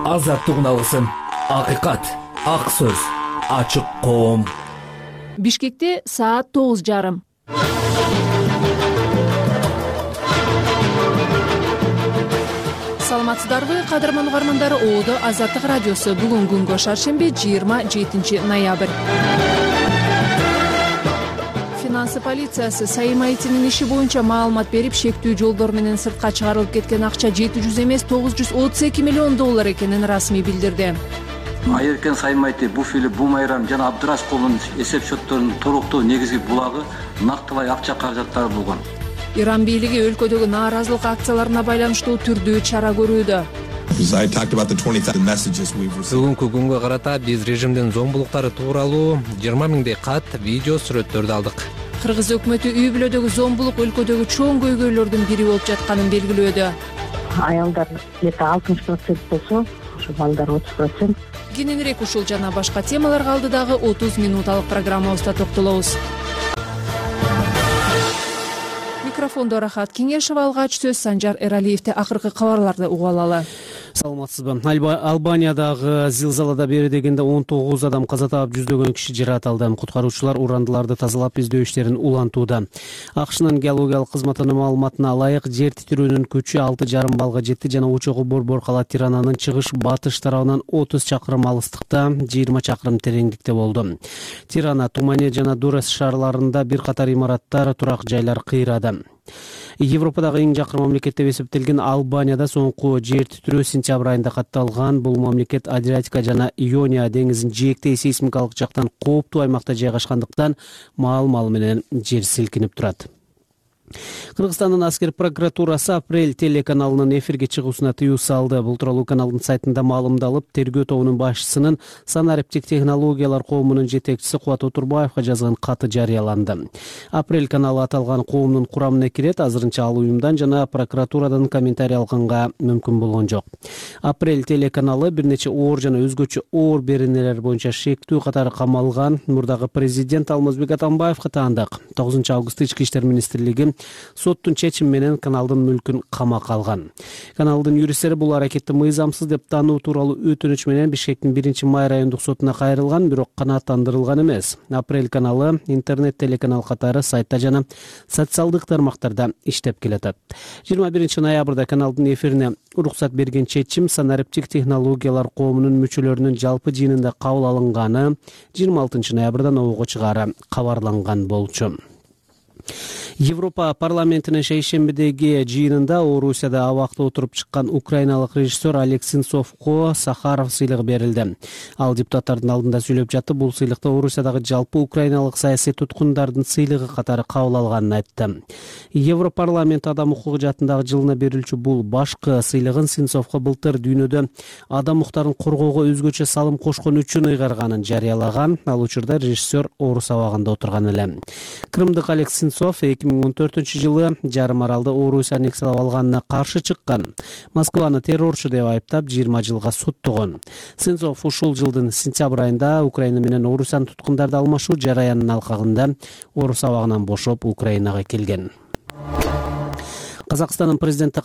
азаттык алсын. Акыйкат, ак сөз, ачык коом. Бишкекте саат 9:30. Саламатсыздарбы, кадырман угармандары? Оодо Азаттык радиосу. Бүгүн күнгө шаршемби 27 ноябрь. Финансы полициясы Сайым Айтинин иши боюнча маалымат берип, шектүү жолдор менен сыртка чыгарылып кеткен акча 700 эмес, 932 миллион доллар экенин расмий билдирди. Айыркен Сайым Айти, Буфили, Бумайрам жана Абдырашковдун эсеп счетторунун толуктуу негизги булагы нактылай акча каражаттары болгон. Иран бийлиги өлкөдөгү нааразылык акцияларына байланыштуу түрдүү чара көрүүдө. Бүгүнкү күнгө карата биз режимдин зомбулуктары тууралуу 20 миңдей кат, видео, сүрөттөрдү алдык. Кыргыз өкмөтү үй бүлөдөгү зомбулук өлкөдөгү чоң көйгөйлөрдүн бири болуп жатканын белгилөөдө. Аялдар 60% болсо, ошо балдар 30%. Кененирээк ушул жана башка темаларга алдыдагы 30 минуталык программабызда токтолобуз. Микрофондо Рахат Кеңешова, алгач сөз Санжар Эралиевде. Акыркы кабарларды угуп алалы. Саламатсызбы? Албаниядагы зилзалада бери дегенде 19 адам каза таап, жүздөгөн киши жаракат алды. Куткаруучулар урандыларды тазалап, издөө иштерин улантууда. АКШнын геологиялык кызматынын маалыматына ылайык, жер титирөөнүн күчү 6,5 балга жетти жана учогу борбор кала Тирананын чыгыш-батыш тарабынан 30 чакырым алыстыкта, 20 чакырым тереңдикте болду. Тирана, Тумане жана Дурес шаарларында бир катар имараттар, турак жайлар кыйрады. Европадагы эң жакын мамлекет деп эсептелген Албанияда соңку жер титирөө сентябрь айында катталган. Бул мамлекет Адриатика жана Иония деңизин жээктей сейсмикалык жактан кооптуу аймакта жайгашкандыктан маал-маал менен жер силкинип турат. Кыргызстандын аскер прокуратурасы Апрель телеканалынын эфирге чыгуусуна тыюу салды. Бул тууралуу каналдын сайтында маалымдалып, тергөө тобунун башчысынын санариптик технологиялар коомунун жетекчиси Кубат Отурбаевга жазган каты жарыяланды. Апрель каналы аталган коомдун курамына кирет. Азырынча ал уюмдан жана прокуратурадан комментарий алганга мүмкүн болгон жок. Апрель телеканалы бир нече оор жана өзгөчө оор беренелер боюнча шектүү катары камалган. Мурдагы президент Алмазбек Атамбаевга таандык. 9 августта Ички иштер министрлиги соттун чечими менен каналдын мүлкүн камакка алган. Каналдын юристтери бул аракетти мыйзамсыз деп таануу тууралуу өтүнүч менен Бишкектин 1-май райондук сотуна кайрылган, бирок канааттандырылган эмес. Апрель каналы интернет телеканал катары сайтта жана социалдык тармактарда иштеп келатат. 21 ноябрда каналдын эфирине уруксат берген чечим санариптик технологиялар коомунун мүчөлөрүнүн жалпы жыйынында кабыл алынганы 26 ноябрда обого чыгаары кабарланган болчу. Европа парламентинин шейшембидеги жыйынында Орусияда абакта отуруп чыккан украиналык режиссер Олег Сенцовго Сахаров сыйлыгы берилди. Ал депутаттардын алдында сүйлөп жатып, бул сыйлыкты Орусиядагы жалпы украиналык саясий туткундардын сыйлыгы катары кабыл алганын айтты. Европарламент адам укугу жаатындагы жылына берилчү бул башкы сыйлыгын Сенцовго былтыр дүйнөдө адам укуктарын коргоого өзгөчө салым кошкон үчүн ыйгарганын жарыялаган. Ал учурда режиссер Орус абагында отурган эле. Крымдык Олег Сенцов 2014-жылы жарым аралды Орусия аннексиялап алганына каршы чыккан. Москваны террорчу деп айыптап 20 жылга соттогон. Сенцов ушул жылдын сентябрь айында Украина менен Орусиянын туткундарды алмашуу жараянынын алкагында Орус абагынан бошоп Украинага келген. Казакстандын президенти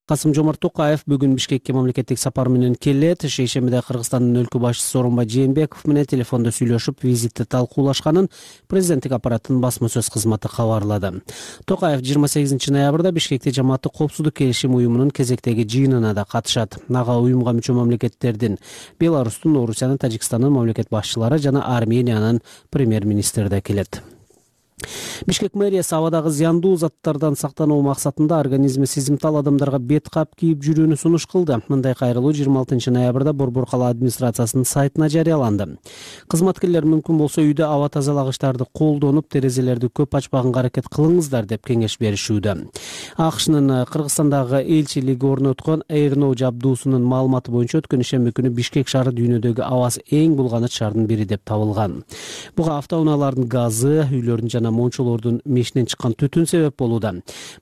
Касым-Жомарт Токаев бүгүн Бишкекке мамлекеттик сапар менен келет. Шейшембиде Кыргызстандын өлкө башчысы Сооронбай Жээнбеков менен телефондо сүйлөшүп, визитти талкуулашканын президенттик аппараттын басма сөз кызматы кабарлады. Токаев 28 ноябрда Бишкекте жамааттык коопсуздук келишим уюмунун кезектеги жыйынына да катышат. Ага уюмга мүчө мамлекеттердин Беларустун, Орусиянын, Тажикстандын мамлекет башчылары жана Армениянын премьер-министри да келет. Бишкек мэриясы абадагы зыяндуу заттардан сактануу максатында организми сезимтал адамдарга бет кап кийип жүрүүнү сунуш кылды. Мындай кайрылуу 26 ноябрда Борбор кала администрациясынын сайтына жарыяланды. Кызматкерлер мүмкүн болсо үйдө аба тазалагычтарды колдонуп, терезелерди көп ачпаганга аракет кылыңыздар деп кеңеш беришүүдө. АКШнын Кыргызстандагы элчилиги орноткон Airnow жабдуусунун маалыматы боюнча өткөн ишемби күнү Бишкек шаары дүйнөдөгү абасы эң булганыч шаардын бири деп табылган. Буга автоунаалардын газы, үйлөрдүн жана жана мончолордун мешинен чыккан түтүн себеп болууда.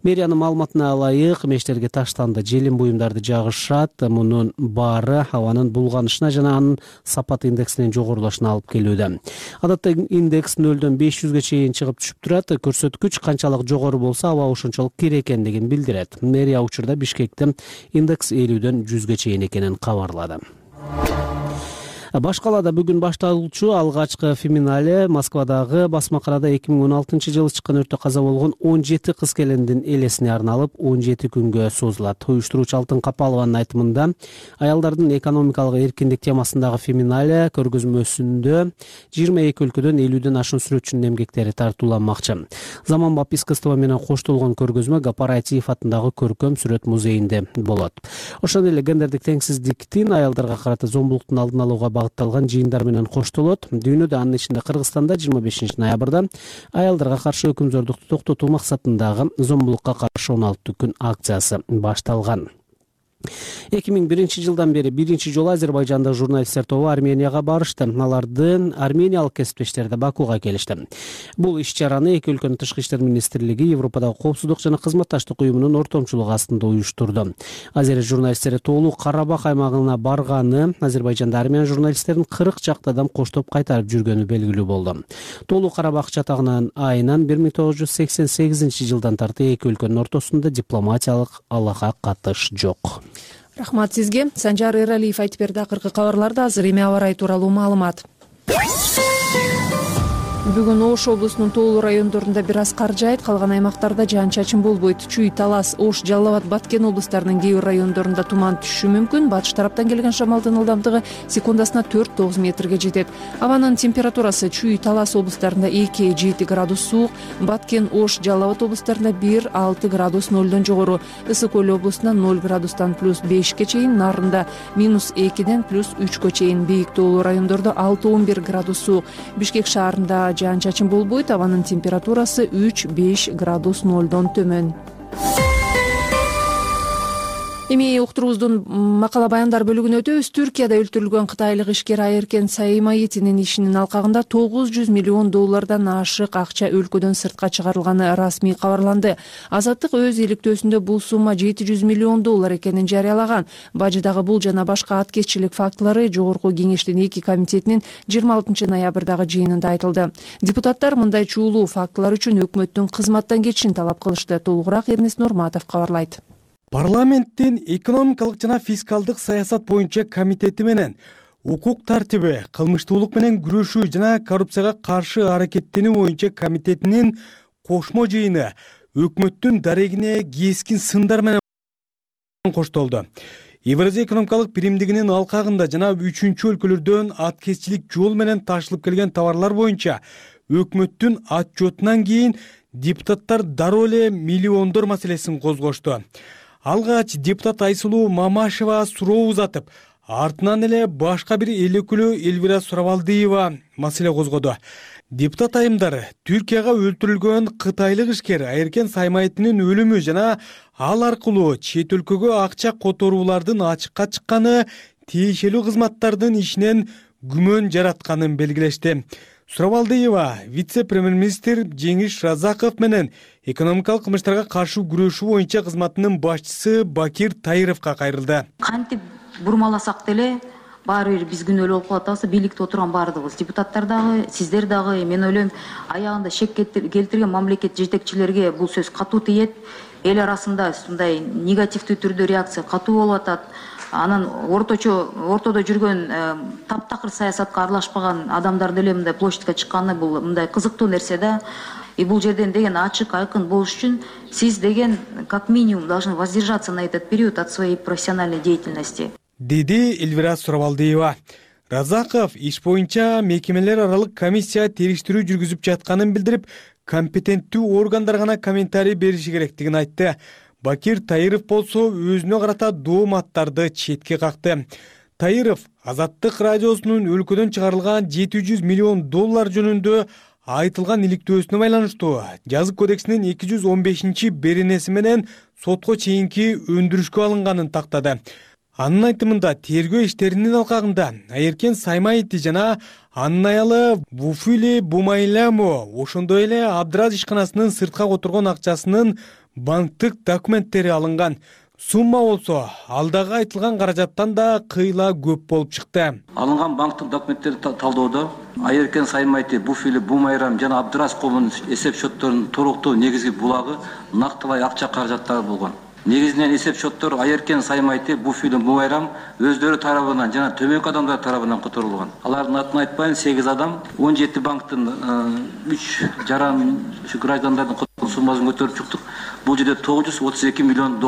Мэриянын маалыматына ылайык, мештерге таштанды желим буюмдарды жагышат. Мунун баары абанын булганышына жана анын сапат индексинин жогорулашына алып келүүдө. Адатта индекс 0-дөн 500ге чейин чыгып түшүп турат. Көрсөткүч канчалык жогору болсо, аба ошончолук кире экендигин билдирет. Мэрия учурда Бишкекте индекс 50-дөн 100ге чейин экенин кабарлады. Башкалада бүгүн башталуучу алгачкы феминале Москвадагы Басмакарада 2016-жылы чыккан өрттө каза болгон 17 кыз келиндин элесине арналып 17 күнгө созулат. Уюштуруучу Алтын Капалованын айтымында, аялдардын экономикалык эркиндик темасындагы феминале көргөзмөсүндө 22 өлкөдөн 50ден ашуун сүрөтчүнүн эмгектери тартууланмакчы. Заманбап искусство менен коштолгон көргөзмө Гапараев атындагы көркөм сүрөт музейинде болот. Ошондой эле гендердик теңсиздиктин, аялдарга карата зомбулуктун алдын алууга багытталган жыйындар менен коштолот. Дүйнөдө, анын ичинде Кыргызстанда 25 ноябрда аялдарга каршы өкүмзордукту токтотуу максатындагы зомбулукка каршы 16 күн акциясы башталган. 2001-жылдан бери биринчи жолу Азербайжандык журналисттер тобу Арменияга барышты. Алардын армениялык кесиптештери да Бакуга келишти. Бул иш-чараны эки өлкөнүн тышкы иштер министрлиги, Европадагы коопсуздук жана кызматташтык уюмунун ортомчулугу астында уюштурду. Азер журналисттери тоолуу Карабах аймагына барганы, Азербайжанда армян журналисттерин 40 чакты адам коштоп кайтарып жүргөнү белгилүү болду. Тоолуу Карабах жатагынан айынан 1988-жылдан тарты эки өлкөнүн ортосунда дипломатиялык алака катыш жок. Рахмат сизге. Санжар Эралиев айтып берди. Акыркы кабарларда азыр эми аба ырайы тууралуу маалымат. Бүгүн Ош облусунун тоолуу райондорунда бир аз кар жаайт, калган аймактарда жаан-чачын болбойт. Чүй, Талас, Ош, Жалал Абад, Баткен облустарынын кээ бир райондорунда туман түшүшү мүмкүн. Батыш тараптан келген шамалдын ылдамдыгы секундасына 4-9 метрге жетет. Абанын температурасы Чүй, Талас облустарында 2-7 градус суук, Баткен, Ош, Жалал Абад облустарында 1-6 градус 0дон жогору, Ысык Көл облусунда 0 градустан +5ке чейин, Нарында -2ден +3кө чейин, бийик тоолуу райондордо 6-11 градус суук. Бишкек шаарында жаан-чачын болбойт, абанын температурасы 3-5 градус 0дон төмөн. Эми уктуруубуздун макала баяндар бөлүгүнө өтөбүз. Түркияда өлтүрүлгөн кытайлык ишкер Айеркен Саимаитинин ишинин алкагында $900 миллион ашык акча өлкөдөн сыртка чыгарылганы расмий кабарланды. Азаттык өз иликтөөсүндө бул сумма $700 миллион экенин жарыялаган. Бажыдагы бул жана башка аткезчилик фактылары Жогорку кеңештин 2 комитетинин 26 ноябрдагы жыйынында айтылды. Депутаттар мындай чуулуу фактылар үчүн өкмөттүн кызматтан кетишин талап кылышты. Толугураак Эрнест Нурматов кабарлайт. Парламенттин экономикалык жана фискалдык саясат боюнча комитети менен укук тартиби, кылмыштуулук менен күрөшүү жана коррупцияга каршы аракеттенүү боюнча комитетинин кошмо жыйыны өкмөттүн дарегине кескин сындар менен коштолду. Евразия экономикалык биримдигинин алкагында жана 3 өлкөлөрдөн аткезчилик жол менен ташылып келген товарлар боюнча өкмөттүн отчетунан кийин депутаттар дароо эле миллиондор маселесин козгошту. Алгач депутат Айсулуу Мамашева суроо узатып, артынан эле башка бир эл өкүлү Элвира Суравалдиева маселе козгоду. Депутат айымдары Түркияга өлтүрүлгөн кытайлык ишкер Айеркен Саимаитинин өлүмү жана ал аркылуу чет өлкөгө акча которуулардын ачыкка чыкканы тиешелүү кызматтардын ишинен күмөн жаратканын белгилешти. Суравалдиева вице-премьер-министр Жеңиш Разаков менен экономикалык кылмыштарга каршы күрөшүү боюнча кызматынын башчысы Бакир Таировго кайрылды. Кантип бурмаласак деле баары бир биз күнөөлүү болуп калат атабыз. Бийликте отурган баардыгыбыз, депутаттар дагы, сиздер дагы, мен ойлойм, аягында шек келтирген мамлекет жетекчилерге бул сөз катуу тиет. Эл арасында ушундай негативдүү түрдө реакция катуу болуп атат. Анан ортодо жүргөн таптакыр саясатка аралашпаган адамдар деле мындай площадька чыкканы бул мындай кызыктуу нерсе да. И бул жерден деген ачык, айкын болуш үчүн сиз деген как минимум должны воздержаться на этот период от своей профессиональной деятельности. Деди Элвира Суравалдиева. Разаков иш боюнча мекемелер аралык комиссия териштирүү жүргүзүп жатканын билдирип, компетенттүү органдар гана комментарий бериши керектигин айтты. Бакир Таиров болсо өзүнө карата дооматтарды четке какты. Таиров Азаттык радиосунун өлкөдөн чыгарылган $700 миллион жөнүндө айтылган иликтөөсүнө байланыштуу жазык кодексинин 215 беренеси менен сотко чейинки өндүрүшкө алынганын тактады. Анын айтымында тергөө иштеринин алкагында Айеркен Саймаити жана анын аялы Вуфили Бумайламо ошондой эле Абдраз ишканасынын сыртка которгон акчасынын банктык документтери алынган. Сумма болсо алдагы айтылган каражаттан да кыйла көп болуп чыкты. Алынган банктык документтерди талоодо Айеркен Саймаити, Буфили Бумайрам жана Абдраз колунун эсеп счетторунун толуктуу негизги булагы нактылай акча каражаттары болгон. Негизинен эсеп счеттору Айеркен Саймаити, Буфили Бумайрам өздөрү тарабынан жана төмөнкү адамдар тарабынан которулган. Алардын атын айтпайын, 8 адам 17 банктын 3,5 граждандардын которгон суммасын көтөрүп чыктык. Бул жерде $932 миллион,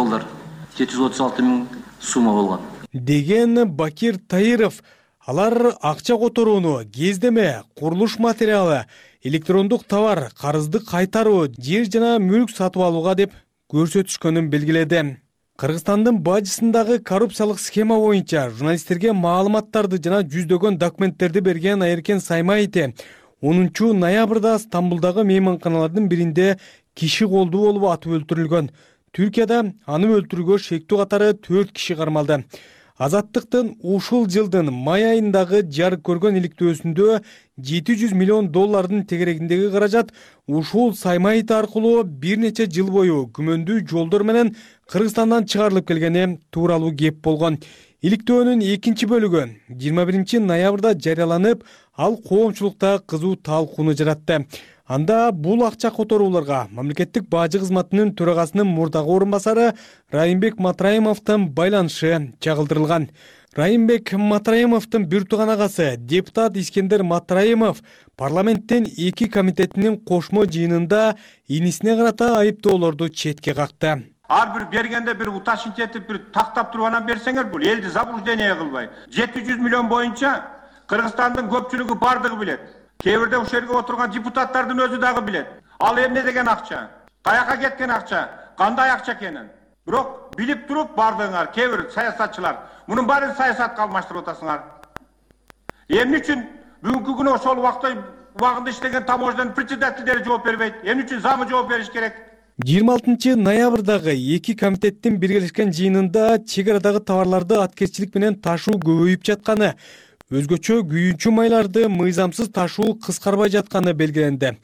736 000 сумма болгон. Деген Бакир Таиров алар акча которууну, кездеме, курулуш материалы, электрондук товар, карызды кайтаруу, жер жана мүлк сатып алууга деп көрсөтүшкөнүн белгиледи. Кыргызстандын бажысындагы коррупциялык схема боюнча журналисттерге маалыматтарды жана жүздөгөн документтерди берген Айеркен Саймаити 10 ноябрда Стамбулдагы мейманканалардын биринде киши колдуу болуп атып өлтүрүлгөн. Түркияда аны өлтүрүүгө шектүү катары 4 киши кармалды. Азаттыктын ушул жылдын май айындагы жарык көргөн иликтөөсүндө $700 миллион тегерегиндеги каражат ушул Саймаити аркылуу бир нече жыл бою күмөндүү жолдор менен Кыргызстандан чыгарылып келгени тууралуу кеп болгон. Иликтөөнүн экинчи бөлүгү 21 ноябрда жарыяланып, ал коомчулукта кызуу талкууну жаратты. Анда бул акча которууларга мамлекеттик бажы кызматынын төрагасынын мурдагы орун басары Райымбек Матраимовдун байланышы чагылдырылган. Райымбек Матраимовдун бир тууган агасы депутат Искендер Матраимов парламенттин 2 комитетинин кошмо жыйынында инисине карата айыптоолорду четке какты. Ар бир бергенде бир уташынчы этип бир тактап туруп анан берсеңер, бул элди заблуждение кылбай. 700 миллион боюнча Кыргызстандын көпчүлүгү бардыгы билет. Кээ бирде ушул жерге отурган депутаттардын өзү дагы билет. Ал эмне деген акча? Каяка кеткен акча? Кандай акча экенин? Бирок билип туруп бардыңар, кээ бир саясатчылар мунун баарын саясатка алмаштырып атасыңар. Эмне үчүн бүгүнкү күнү ошол убагында иштеген таможняның председательдери жооп бербейт? Эмне үчүн замы жооп бериш керек? 26 ноябрдагы 2 комитеттин биргелешкен жыйынында чек арадагы товарларды аткерчилик менен ташуу көбөйүп жатканы, өзгөчө күйүүчү майларды мыйзамсыз ташуу кыскарбай жатканы белгиленди.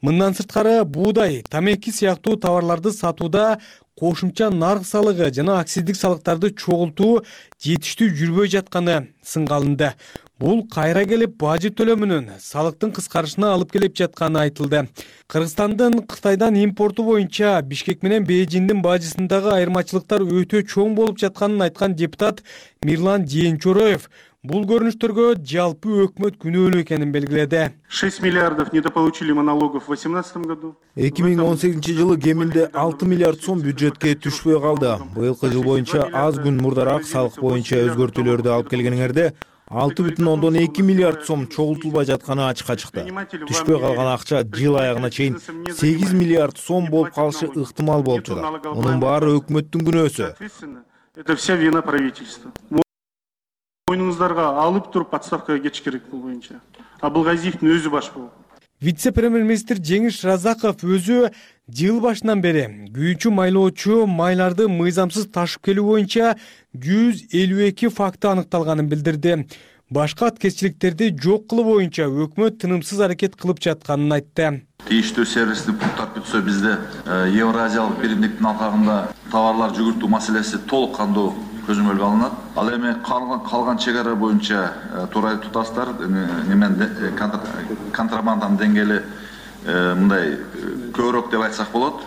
Мындан сырткары буудай, тамеки сыяктуу товарларды сатууда кошумча нарк салыгы жана акциздик салыктарды чогултуу жетиштүү жүрбөй жатканы сынга алынды. Бул кайра келип бажы төлөмүнүн салыктын кыскарышына алып келип жатканы айтылды. Кыргызстандын Кытайдан импорту боюнча Бишкек менен Бейжиңдин бажысындагы айырмачылыктар өтө чоң болуп жатканын айткан депутат Мирлан Жээнчороев бул көрүнүштөргө жалпы өкмөт күнөөлүү экенин белгиледи. 6 миллиардов недополучили мы налогов в 2018 году. 2018 жылы кеминде 6 миллиард сом бюджетке түшпөй калды. Быйылкы жыл боюнча аз күн мурдараак салык боюнча өзгөртүүлөрдү алып келгениңерде 6,2 миллиард сом чогултулбай жатканы ачыкка чыкты. Түшпөй калган акча жыл аягына чейин 8 миллиард сом болуп калышы ыктымал болуп жатат. Мунун баары өкмөттүн күнөөсү. Это вся вина правительства. Мойнуңуздарга алып туруп отставкага кетиш керек бул боюнча. Абылгазиевдин өзү баш болуп. Вице-премьер-министр Жеңиш Разаков өзү жыл башынан бери күйүүчү майлоочу майларды мыйзамсыз ташып келүү боюнча 152 факты аныкталганын билдирди. Башка аткерчиликтерди жок кылуу боюнча өкмөт тынымсыз аракет кылып жатканын айтты. Тийиштүү сервистик пункттар бүтсө бизде Евразиялык биримдиктин алкагында товарлар жүгүртүү маселеси толук кандуу көзөмөлгө алынат. Ал эми калган чек ара боюнча турай тутастар контрабанданын деңгээли мындай көбүрөөк деп айтсак болот,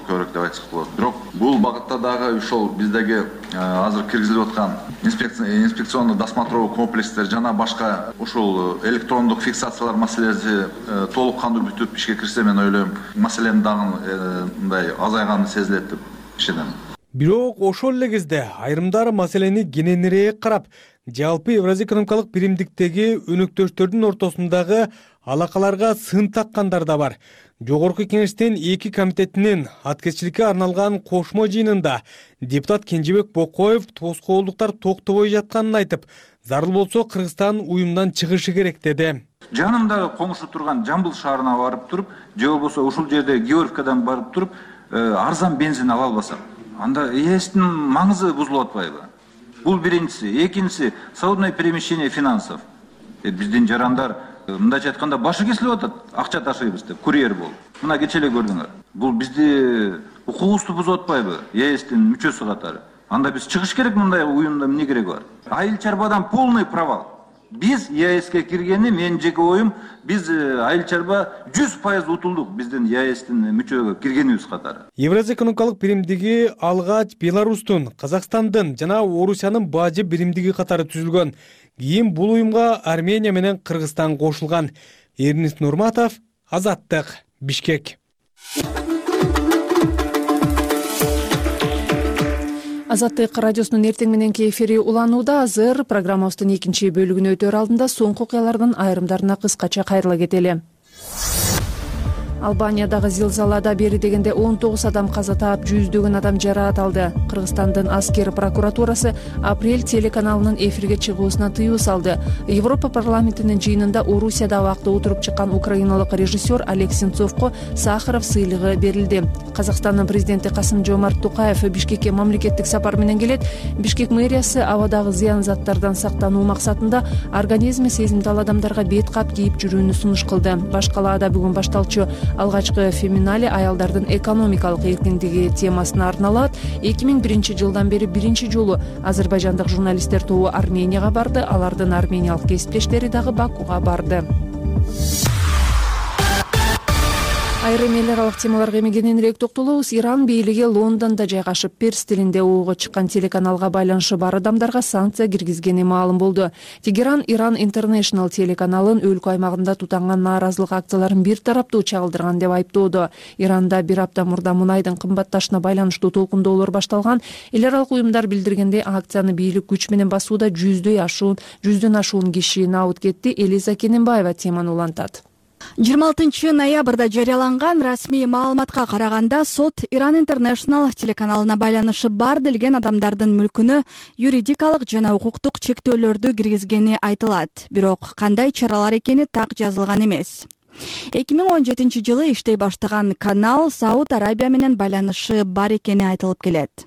Бирок бул багытта дагы ошол биздеги азыр киргизилип аткан инспекционный досмотровый комплекстер жана башка ушул электрондук фиксациялар маселеси толук кандуу бүтүп ишке кирсе, мен ойлойм, маселенин дагы мындай азайганы сезилет деп ишенем. Бирок ошол эле кезде айрымдар маселени кененирээк карап, жалпы Евразия экономикалык биримдиктеги өнөктөштөрдүн ортосундагы алакаларга сын таккандар да бар. Жогорку кеңештин 2 комитетинин аткерчиликке арналган кошмо жыйынында депутат Кенжебек Бокоев тоскоолдуктар токтобой жатканын айтып, зарыл болсо Кыргызстан уюмдан чыгышы керек деди. Жанымда коңшу турган Жамбыл шаарына барып туруп, же болбосо ушул жерде Георгиевкадан барып туруп, арзан бензин ала албасак, анда ээсинин маңызы бузулуп атпайбы? Бул биринчиси. Экинчиси свободное перемещение финансов. Биздин жарандар мындайча айтканда башы кесилип атат, акча ташыйбыз деп, курьер болуп. Мына кече эле көрдүңөр. Бул бизди укугубузду бузуп атпайбы? ЕСтин мүчөсү катары. Анда биз чыгыш керек, мындай уюмда эмне кереги бар? Айыл чарбадан полный провал. Биз ЕСке киргени, менин жеке оюм, биз айыл чарба 100% утулдук биздин ЕСтин мүчөгө киргенибиз катары. Евразия экономикалык биримдиги алгач Беларустун, Казакстандын жана Орусиянын бажы биримдиги катары түзүлгөн. Кийин бул уюмга Армения менен Кыргызстан кошулган. Эрнест Нурматов, Азаттык, Бишкек. Азаттык радиосунун эртең мененки эфири уланууда. Азыр программабыздын экинчи бөлүгүнө өтөр алдында соңку окуялардын айрымдарына кыскача кайрыла кетели. Албаниядагы зилзалада бери дегенде 19 адам каза таап, жүздөгөн адам жараат алды. Кыргызстандын аскер прокуратурасы апрель телеканалынын эфирге чыгуусуна тыюу салды. Европа парламентинин жыйынында Орусияда убакта отуруп чыккан украиналык режиссер Олег Сенцовго Сахаров сыйлыгы берилди. Казакстандын президенти Касым-Жомарт Токаев Бишкекке мамлекеттик сапар менен келет. Бишкек мэриясы абадагы зыян заттардан сактануу максатында организми сезимдал адамдарга бет кап кийип жүрүүнү сунуш кылды. Баш калаада бүгүн башталчу алгачкы феминале аялдардын экономикалык эркиндиги темасына арналат. 2001 жылдан бери биринчи жолу азербайжандык журналисттер тобу Арменияга барды. Алардын армениялык кесиптештери дагы Бакуга барды. Айрым эл аралык темаларга эми кененирээк токтолобуз. Иран бийлиги Лондондо жайгашып перс тилинде ого чыккан телеканалга байланышы бар адамдарга санкция киргизгени маалым болду. Тегеран Иран International телеканалын өлкө аймагында тутанган нааразылык акцияларын бир тараптуу чагылдырган деп айыптоодо. Иранда бир апта мурда мунайдын кымбатташына байланыштуу толкундоолор башталган. Эл аралык уюмдар билдиргендей, акцияны бийлик күч менен басууда жүздөн ашуун киши набыт кетти. Элиза Кененбаева теманы улантат. 26 ноябрда жарыяланган расмий маалыматка караганда, сот Иран International телеканалына байланышы бар делген адамдардын мүлкүнө юридикалык жана укуктук чектөөлөрдү киргизгени айтылат. Бирок кандай чаралар экени так жазылган эмес. 2017 жылы иштей баштаган канал Сауд Арабия менен байланышы бар экени айтылып келет.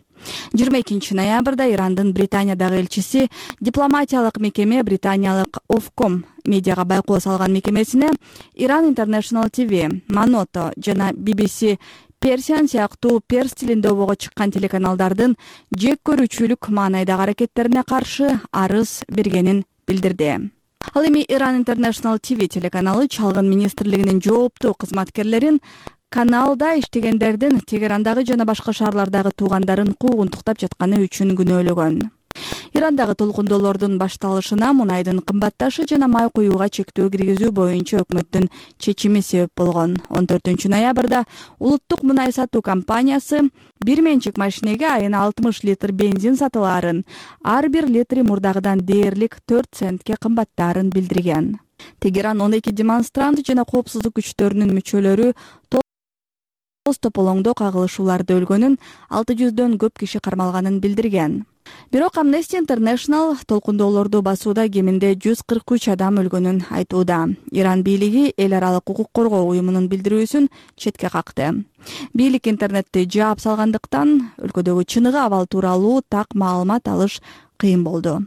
22 ноябрда Ирандын Британиядагы элчиси дипломатиялык мекеме британиялык Ofcom медиага байкоо салган мекемесине Иран International TV, Monoto жана BBC Persian сыяктуу перс тилинде ого чыккан телеканалдардын жек көрүүчүлүк маанайдагы аракеттерине каршы арыз бергенин билдирди. Ал эми Иран International TV телеканалы чалгын министрлигинин жооптуу кызматкерлерин каналда иштегендердин Тегерандагы жана башка шаарлардагы туугандарын куугунтуктап жатканы үчүн күнөөлөгөн. Ирандагы толкундоолордун башталышына мунайдын кымбатташы жана май куюуга чектөө киргизүү боюнча өкмөттүн чечими себеп болгон. 14 ноябрда улуттук мунай сатуу компаниясы бир менчик машинеге айына 60 литр бензин сатылаарын, ар бир литри мурдагыдан дээрлик 4 центке кымбаттаарын билдирген. Тегеран 12 демонстрант жана коопсуздук күчтөрүнүн мүчөлөрү тополоңдо кагылышууларда өлгөнүн, 600дөн көп киши кармалганын билдирген. Бирок Amnesty International толкундоолорду басууда кеминде 143 адам өлгөнүн айтууда. Иран бийлиги эл аралык укук коргоо уюмунун билдирүүсүн четке какты. Бийлик интернетти жаап салгандыктан өлкөдөгү чыныгы абал тууралуу так маалымат алыш кыйын болду.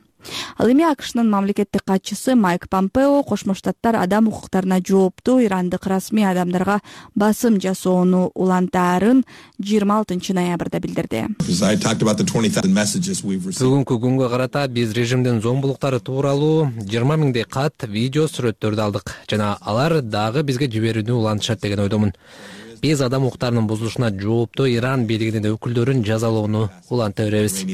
Ал эми АКШнын мамлекеттик катчысы Майк Помпео Кошмо Штаттар адам укуктарына жооптуу ирандык расмий адамдарга басым жасоону улантаарын 26 ноябрда билдирди. Бүгүнкү күнгө карата биз режимдин зомбулуктары тууралуу 20 миңдей кат, видео, сүрөттөрдү алдык жана алар дагы бизге жиберүүнү улантышат деген ойдомун. Биз адам укуктарынын бузулушуна жооптуу Иран бийлигинин өкүлдөрүн жазалоону уланта беребиз.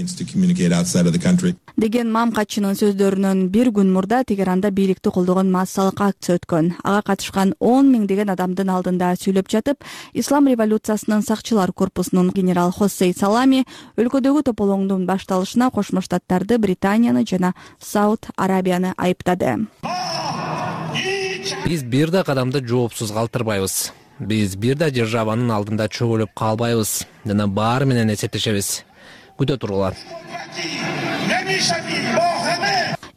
Деген мамкатчынын сөздөрүнөн бир күн мурда Тегеранда бийликти колдогон массалык акция өткөн. Ага катышкан 10 миңдеген адамдын алдында сүйлөп жатып, Ислам революциясынын сакчылар корпусунун генерал Хоссей Салами өлкөдөгү тополоңдун башталышына Кошмо Штаттарды, Британияны жана Сауд Арабияны айыптады. Биз бир да кадамды жоопсуз калтырбайбыз. Биз бир да державанын алдында чөгөлүп калбайбыз жана баары менен эсептешебиз. Күтө тургула.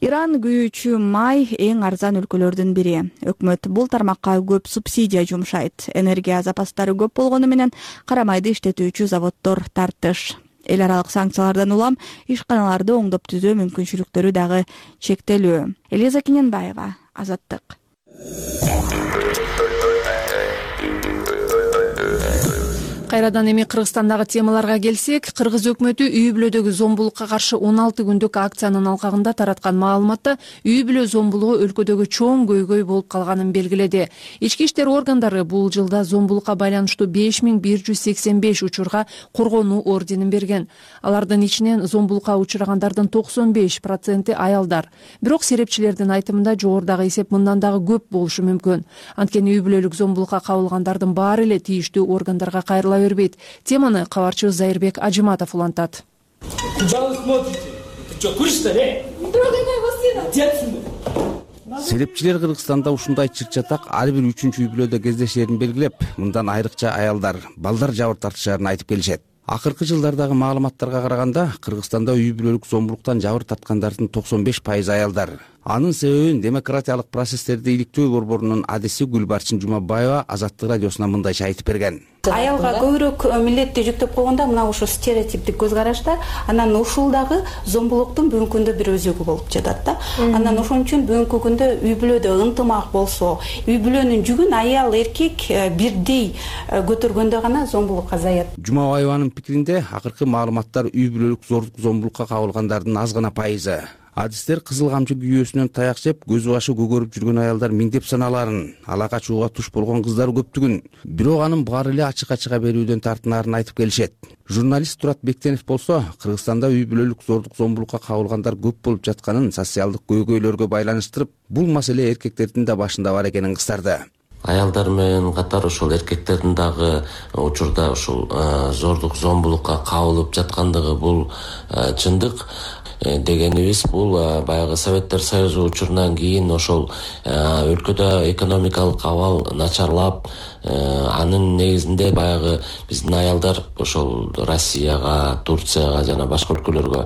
Иран күйүүчү май эң арзан өлкөлөрдүн бири. Өкмөт бул тармакка көп субсидия жумшайт. Энергия запастары көп болгону менен кара майды иштетүүчү заводдор тартыш. Эл аралык санкциялардан улам ишканаларды оңдоп түзөө мүмкүнчүлүктөрү дагы чектелүү. Элиза Кененбаева, Азаттык. Кайрадан эми Кыргызстандагы темаларга келсек, Кыргыз өкмөтү үй бүлөдөгү зомбулукка каршы 16 күндүк акциянын алкагында тараткан маалыматта үй бүлө зомбулугу өлкөдөгү чоң көйгөй болуп калганын белгиледи. Ички иштер органдары бул жылда зомбулукка байланыштуу 5185 учурга коргонуу орденин берген. Алардын ичинен зомбулукка учурагандардын 95% аялдар. Бирок серепчилердин айтымында жогорудагы эсеп мындан дагы көп болушу мүмкүн. Анткени үй бүлөлүк зомбулукка кабылгандардын баары эле тийиштүү органдарга кайрыла бербейт. Теманы кабарчыбыз Зайырбек Ажиматов улантат. Куда вы смотрите? Ты что, куришь, что ли? Трогай моего сына! Отец! Серепчилер Кыргызстанда ушундай чыр-чатак ар бир 3-үй бүлөдө кездешерин белгилеп, мындан айрыкча аялдар, балдар жабыр тартышарын айтып келишет. Акыркы жылдардагы маалыматтарга караганда, Кыргызстанда үй бүлөлүк зомбулуктан жабыр тарткандардын 95% аялдар. Анын себебин демократиялык процесстерди иликтөө борборунун адиси Гүлбарчын Жумабаева Азаттык радиосуна мындайча айтып берген. Аялга көбүрөөк милдетти жүктөп койгондо мына ушул стереотиптик көз карашта, анан ушул дагы зомбулуктун бүгүнкү күндө бир өзөгү болуп жатат да. Анан ошон үчүн бүгүнкү күндө үй бүлөдө ынтымак болсо, үй бүлөнүн жүгүн аял эркек бирдей көтөргөндө гана зомбулук азаят. Жумабаеванын пикиринде, акыркы маалыматтар үй бүлөлүк зомбулукка кабылгандардын аз гана пайызы. Адистер кызыл камчы күйөөсүнөн таяк жеп, көз башы көгөрүп жүргөн аялдар миңдеп саналарын, ала качууга туш болгон кыздар көптүгүн. Бирок анын баары эле ачык-ачыга берүүдөн тартынарын айтып келишет. Журналист Турат Бектенов болсо, Кыргызстанда үй бүлөлүк зомбулукка кабылгандар көп болуп жатканын социалдык көйгөйлөргө байланыштырып, бул маселе эркектердин да башында бар экенин кыстарды. Аялдар менен катар ошол эркектердин дагы учурда ушул зордук зомбулукка кабылып жаткандыгы бул чындык. Дегенибиз бул баягы Советтер Союзу учурунан кийин ошол өлкөдө экономикалык абал начарлап, анын негизинде баягы биздин аялдар ошол Россияга, Турцияга жана башка өлкөлөргө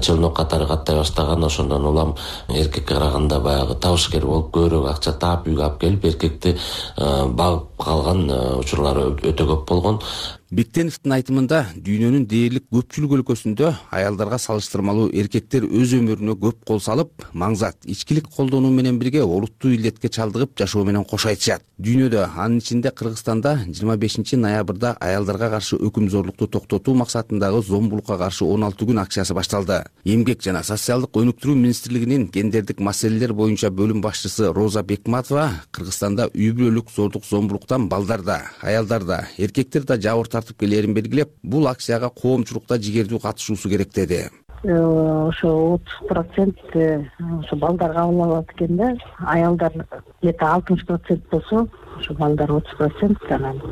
челнок катары каттай баштаган. Ошондон улам эркекке караганда баягы табышкер болуп, көбүрөөк акча таап үйгө алып келип, эркекти багып калган учурлары өтө көп болгон. Бектеновдун айтымында, дүйнөнүн дээрлик көпчүлүк өлкөсүндө аялдарга салыштырмалуу эркектер өз өмүрүнө көп кол салып, маңзат ичкилик колдонуу менен бирге олуттуу илдетке чалдыгып жашоо менен кош айтышат. Дүйнөдө, анын ичинде Кыргызстанда 25 ноябрда аялдарга каршы өкүм зорлукту токтотуу максатындагы зомбулукка каршы 16 күн акциясы башталды. Эмгек жана социалдык өнүктүрүү министрлигинин гендердик маселелер боюнча бөлүм башчысы Роза Бекматова Кыргызстанда үй бүлөлүк зомбулуктан балдарда, аялдарда, эркектер да жабыр тартып келерин белгилеп, бул акцияга коомчулукта жигердүү катышуусу керек деди. Ошо 30% ошо балдар кабыл алат экен да, аялдар где-то 60% болсо, ошо балдар 30%, анан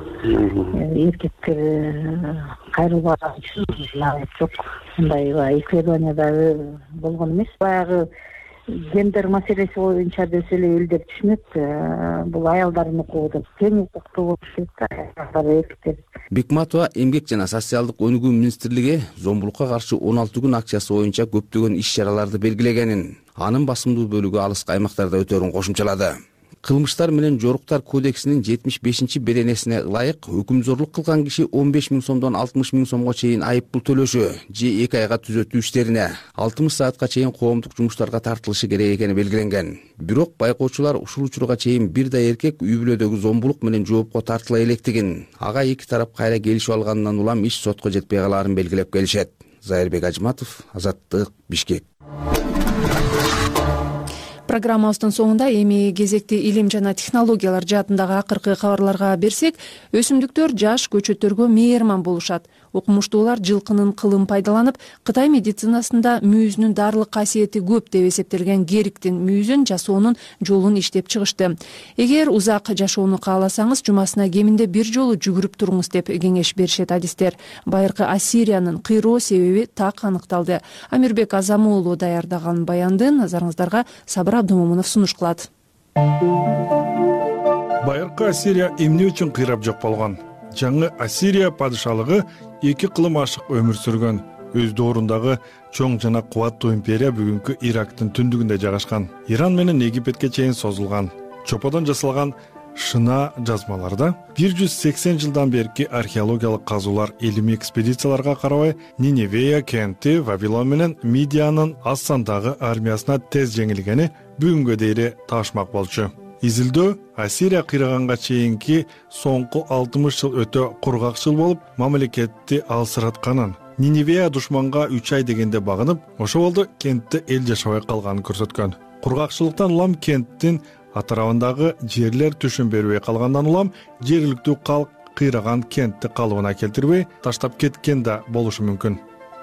эркектер кайрылбаган үчүн жок. Мындай исследованияда болгон эмес. Баягы гендер маселеси боюнча десе эле элдер түшүнөт, бул аялдардын укугу деп тең укуктуу болуш керек, аялдар эркектер. Бекматова Эмгек жана социалдык өнүгүү министрлиги зомбулукка каршы 16 күн акциясы боюнча көптөгөн иш-чараларды белгилегенин, анын басымдуу бөлүгү алыскы аймактарда өтөрүн кошумчалады. Кылмыштар менен жоруктар кодексинин 75-беренесине ылайык өкүмзорлук кылган киши 15 000 сомдон 60 000 сомго чейин айыппул төлөшү же 2 айга түзөтүү иштерине 60 саатка чейин коомдук жумуштарга тартылышы керек экени белгиленген. Бирок байкоочулар ушул учурга чейин бир да эркек үй бүлөдөгү зомбулук менен жоопко тартыла электигин, ага эки тарап кайра келишип алгандан улам иш сотко жетпей калаарын белгилеп келишет. Зайырбек Ажиматов, Азаттык, Бишкек. Программабыздын соңунда эми кезекти илим жана технологиялар жаатындагы акыркы кабарларга берсек, өсүмдүктөр жаш көчөттөргө мээрман болушат. Окумуштуулар жылкынын кылын пайдаланып, Кытай медицинасында мүйүзүнүн дарылык касиети көп деп эсептелген гериктин мүйүзүн жасоонун жолун иштеп чыгышты. Эгер узак жашоону кааласаңыз, жумасына кеминде бир жолу жүгүрүп туруңуз деп кеңеш беришет адистер. Байыркы Ассириянын кыйроо себеби так аныкталды. Амирбек Азамуулу даярдаган баянды назарыңыздарга Сабыр Абдымомунов сунуш кылат. Байыркы Ассирия эмне үчүн кыйрап жок болгон? Жаңы Ассирия падышалыгы 2 кылым ашык өмүр сүргөн. Өз доорундагы чоң жана кубаттуу империя бүгүнкү Ирактын түндүгүндө жайгашкан. Иран менен Египетке чейин созулган. Чоподон жасалган шына жазмаларда 180 жылдан берки археологиялык казуулар илимий экспедицияларга карабай Ниневея кенти Вавилон менен Мидиянын аз сандагы армиясына тез жеңилгени бүгүнгө дейин таашмак болчу. Изилдөө Ассирия кыйраганга чейинки соңку 60 жыл өтө кургакчыл болуп, мамлекетти алсыратканын, Ниневея душманга 3 ай дегенде багынып, ошол болду кентте эл жашабай калганын көрсөткөн. Кургакчылыктан улам кенттин атырабындагы жерлер түшүн бербей калгандан улам жергиликтүү калк кыйраган кентти калыбына келтирбей таштап кеткен да болушу мүмкүн.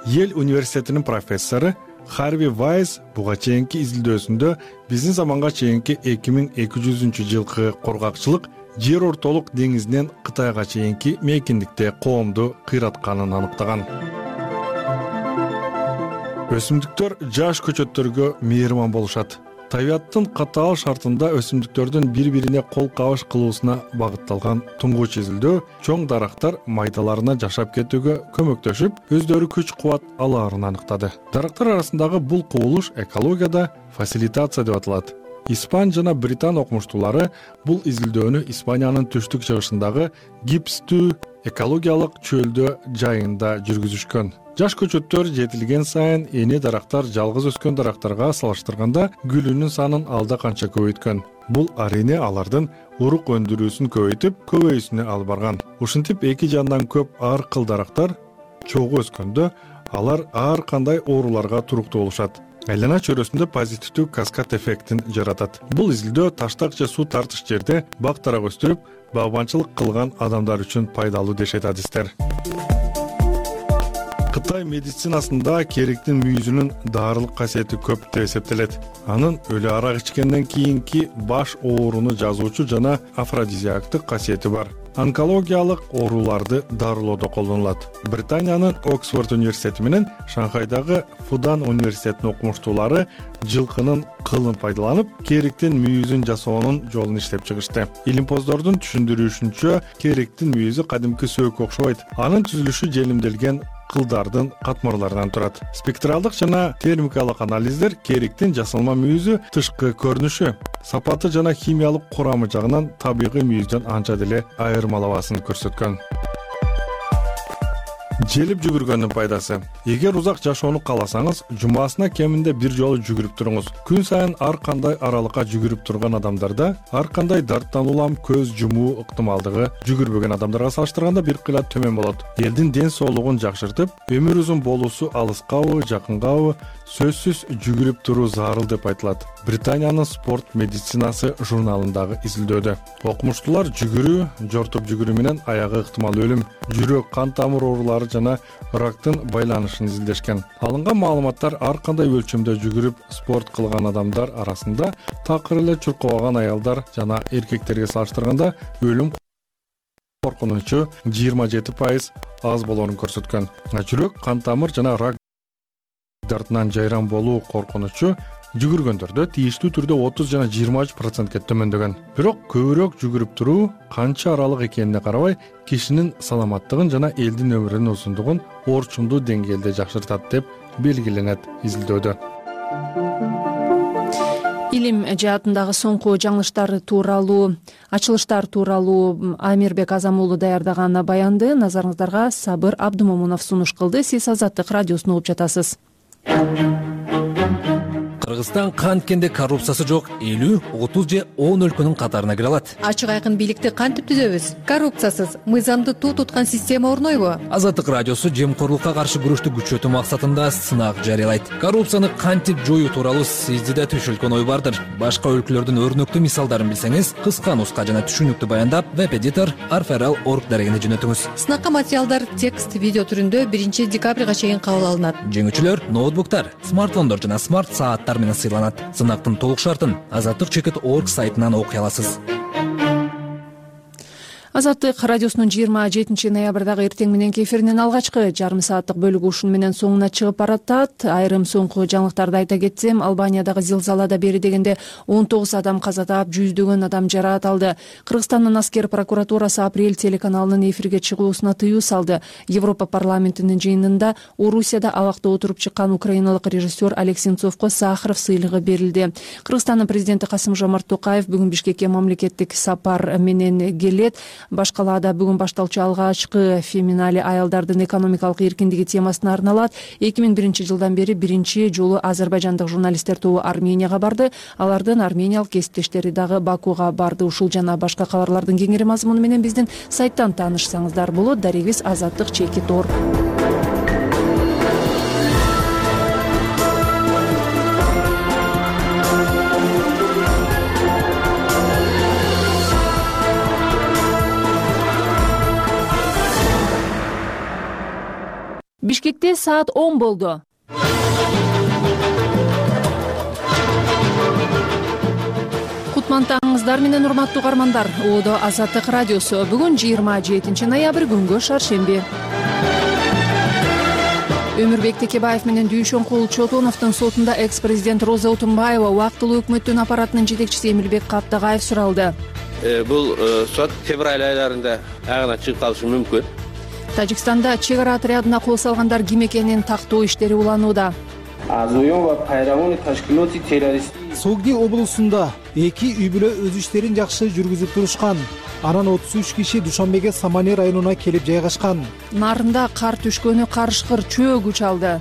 Ел университетинин профессору Харви Вайс буга чейинки изилдөөсүндө биздин заманга чейинки 2200 жылкы кургакчылык жер ортолук деңизинен Кытайга чейинки мейкиндикте коомду кыйратканын аныктаган. Өсүмдүктөр жаш көчөттөргө мейирман болушат. Табиаттын катаал шартында өсүмдүктөрдүн бири-бирине кол кабыш кылуусуна багытталган туңгуч изилдөө чоң дарактар майдаларына жашап кетүүгө көмөктөшүп, өздөрү күч-кубат алаарын аныктады. Дарактар арасындагы бул кубулуш экологияда фасилитация деп аталат. Испан жана Британ окумуштуулары бул изилдөөнү Испаниянын түштүк чыгышындагы гипстүү экологиялык чөлдө жайында жүргүзүшкөн. Жаш көчөттөр жетилген сайын эне дарактар жалгыз өскөн дарактарга салыштырганда гүлүнүн санын алда канча көбөйткөн. Бул арине алардын урук өндүрүүсүн көбөйтүп, көбөйүүсүнө алып барган. Ушинтип эки жандан көп ар кыл дарактар чогуу өскөндө алар ар кандай ооруларга туруктуу болушат. Айлана чөйрөсүндө позитивдүү каскад эффектин жаратат. Бул изилдөө таштак же суу тартыш жерде бак дарак өстүрүп, багбанчылык кылган адамдар үчүн пайдалуу дешет адистер. Кытай медицинасында кериктин мүйүзүнүн даарылык касиети көп деп эсептелет. Анын өлү арак ичкенден кийинки баш ооруну жазуучу жана афродизиактык касиети бар. Онкологиялык ооруларды дарылоодо колдонулат. Британиянын Оксфорд университети менен Шанхайдагы Фудан университетинин окумуштуулары жылкынын кылын пайдаланып, кериктин мүйүзүн жасоонун жолун иштеп чыгышты. Илимпоздордун түшүндүрүшүнчө, кериктин мүйүзү кадимки сөөгкө окшобойт. Анын түзүлүшү желимделген кылдардын катмарларынан турат. Спектралдык жана термикалык анализдер кериктин жасалма мүйүзү тышкы көрүнүшү, сапаты жана химиялык курамы жагынан табигый мүйүздөн анча деле айырмалабасын көрсөткөн. Желип жүгүргөндүн пайдасы. Эгер узак жашоону кааласаңыз, жумасына кеминде бир жолу жүгүрүп туруңуз. Күн сайын ар кандай аралыкка жүгүрүп турган адамдарда ар кандай дарттан улам көз жумуу ыктымалдыгы жүгүрбөгөн адамдарга салыштырганда бир кыйла төмөн болот. Элдин ден соолугун жакшыртып, өмүр узун болуусу алыскабы, жакынгабы сөзсүз жүгүрүп туруу зарыл деп айтылат. Британиянын спорт медицинасы журналындагы изилдөөдө окумуштуулар жүгүрүү, жортуп жүгүрүү менен аягы ыктымал өлүм, жүрөк, кан тамыр оорулары жана рактын байланышын изилдешкен. Алынган маалыматтар ар кандай өлчөмдө жүгүрүп спорт кылган адамдар арасында такыр эле чуркабаган аялдар жана эркектерге салыштырганда өлүм коркунучу 27% аз болоорун көрсөткөн. Жүрөк, кан тамыр жана рак дартынан жайран болуу коркунучу жүгүргөндөрдө тийиштүү түрдө 30 жана 23%ке төмөндөгөн. Бирок көбүрөөк жүгүрүп туруу канча аралык экенине карабай, кишинин саламаттыгын жана элдин өмүрүнүн узундугун орчундуу деңгээлде жакшыртат деп белгиленет изилдөөдө. Илим жаатындагы соңку жаңылыштар тууралуу, ачылыштар тууралуу Амирбек Азам уулу даярдаган баянды назарыңыздарга Сабыр Абдымомунов сунуш кылды. Сиз Азаттык радиосун угуп жатасыз. Кыргызстан канткенде коррупциясы жок 50, 30 же 10 өлкөнүн катарына кире алат. Ачык айкын бийликти кантип түзөбүз? Коррупциясыз, мыйзамды туу туткан система орнойбу? Азаттык радиосу жемкорлукка каршы күрөштү күчөтүү максатында сынак жарыялайт. Коррупцияны кантип жоюу тууралуу сизде да түшүлгөн ой бардыр. Башка өлкөлөрдүн өрнөктүү мисалдарын билсеңиз, кыска нуска жана түшүнүктүү баяндап веб-эдитор arferal.org дарегине жөнөтүңүз. Сынакка материалдар текст, видео түрүндө 1 декабрга чейин кабыл алынат. Жеңүүчүлөр ноутбуктар, смартфондор жана смарт сааттар менен сыйланат. Сынактын толук шартын Азаттык.org сайтынан окуй аласыз. Азаттык радиосунун 27 ноябрдагы эртең мененки эфиринин алгачкы жарым сааттык бөлүгү ушуну менен соңуна чыгып баратат. Айрым соңку жаңылыктарды айта кетсем, Албаниядагы зилзалада бери дегенде 19 адам каза таап, жүздөгөн адам жараат алды. Кыргызстандын аскер прокуратурасы апрель телеканалынын эфирге чыгуусуна тыюу салды. Европа парламентинин жыйынында Орусияда абакта отуруп чыккан украиналык режиссер Олег Сенцовго Сахаров сыйлыгы берилди. Кыргызстандын президенти Касым-Жомарт Токаев бүгүн Бишкекке мамлекеттик сапар менен келет. Башкалаада бүгүн башталчу алгачкы феминали аялдардын экономикалык эркиндиги темасына арналат. 2001 жылдан бери биринчи жолу азербайжандык журналисттер тобу Арменияга барды. Алардын армениялык кесиптештери дагы Бакуга барды. Ушул жана башка кабарлардын кеңири мазмуну менен биздин сайттан таанышсаңыздар болот. Дарегибиз Азаттык /Тор. Бишкекте саат 10 болду. Кутмантаңыңыздар менен урматтуу угармандар. Оодо Азаттык радиосу. Бүгүн 27 ноябрь күнгө шаршемби. Өмүрбек Текебаев менен Дүйшөнкул Чотоновдун сотунда экс-президент Роза Утунбаева убактылуу өкмөттүн аппаратынын жетекчиси Эмилбек Каптагаев суралды. Бул сот февраль айларында аягына чыгып калышы мүмкүн. Тажикстанда чек ара отрядына кол салгандар ким экенин тактоо иштери уланууда. Согди облусунда 2 үй бүлө өз иштерин жакшы жүргүзүп турушкан. Анан 33 киши Душанбеге Самане районуна келип жайгашкан. Нарында кар түшкөнү карышкыр чөө күч алды.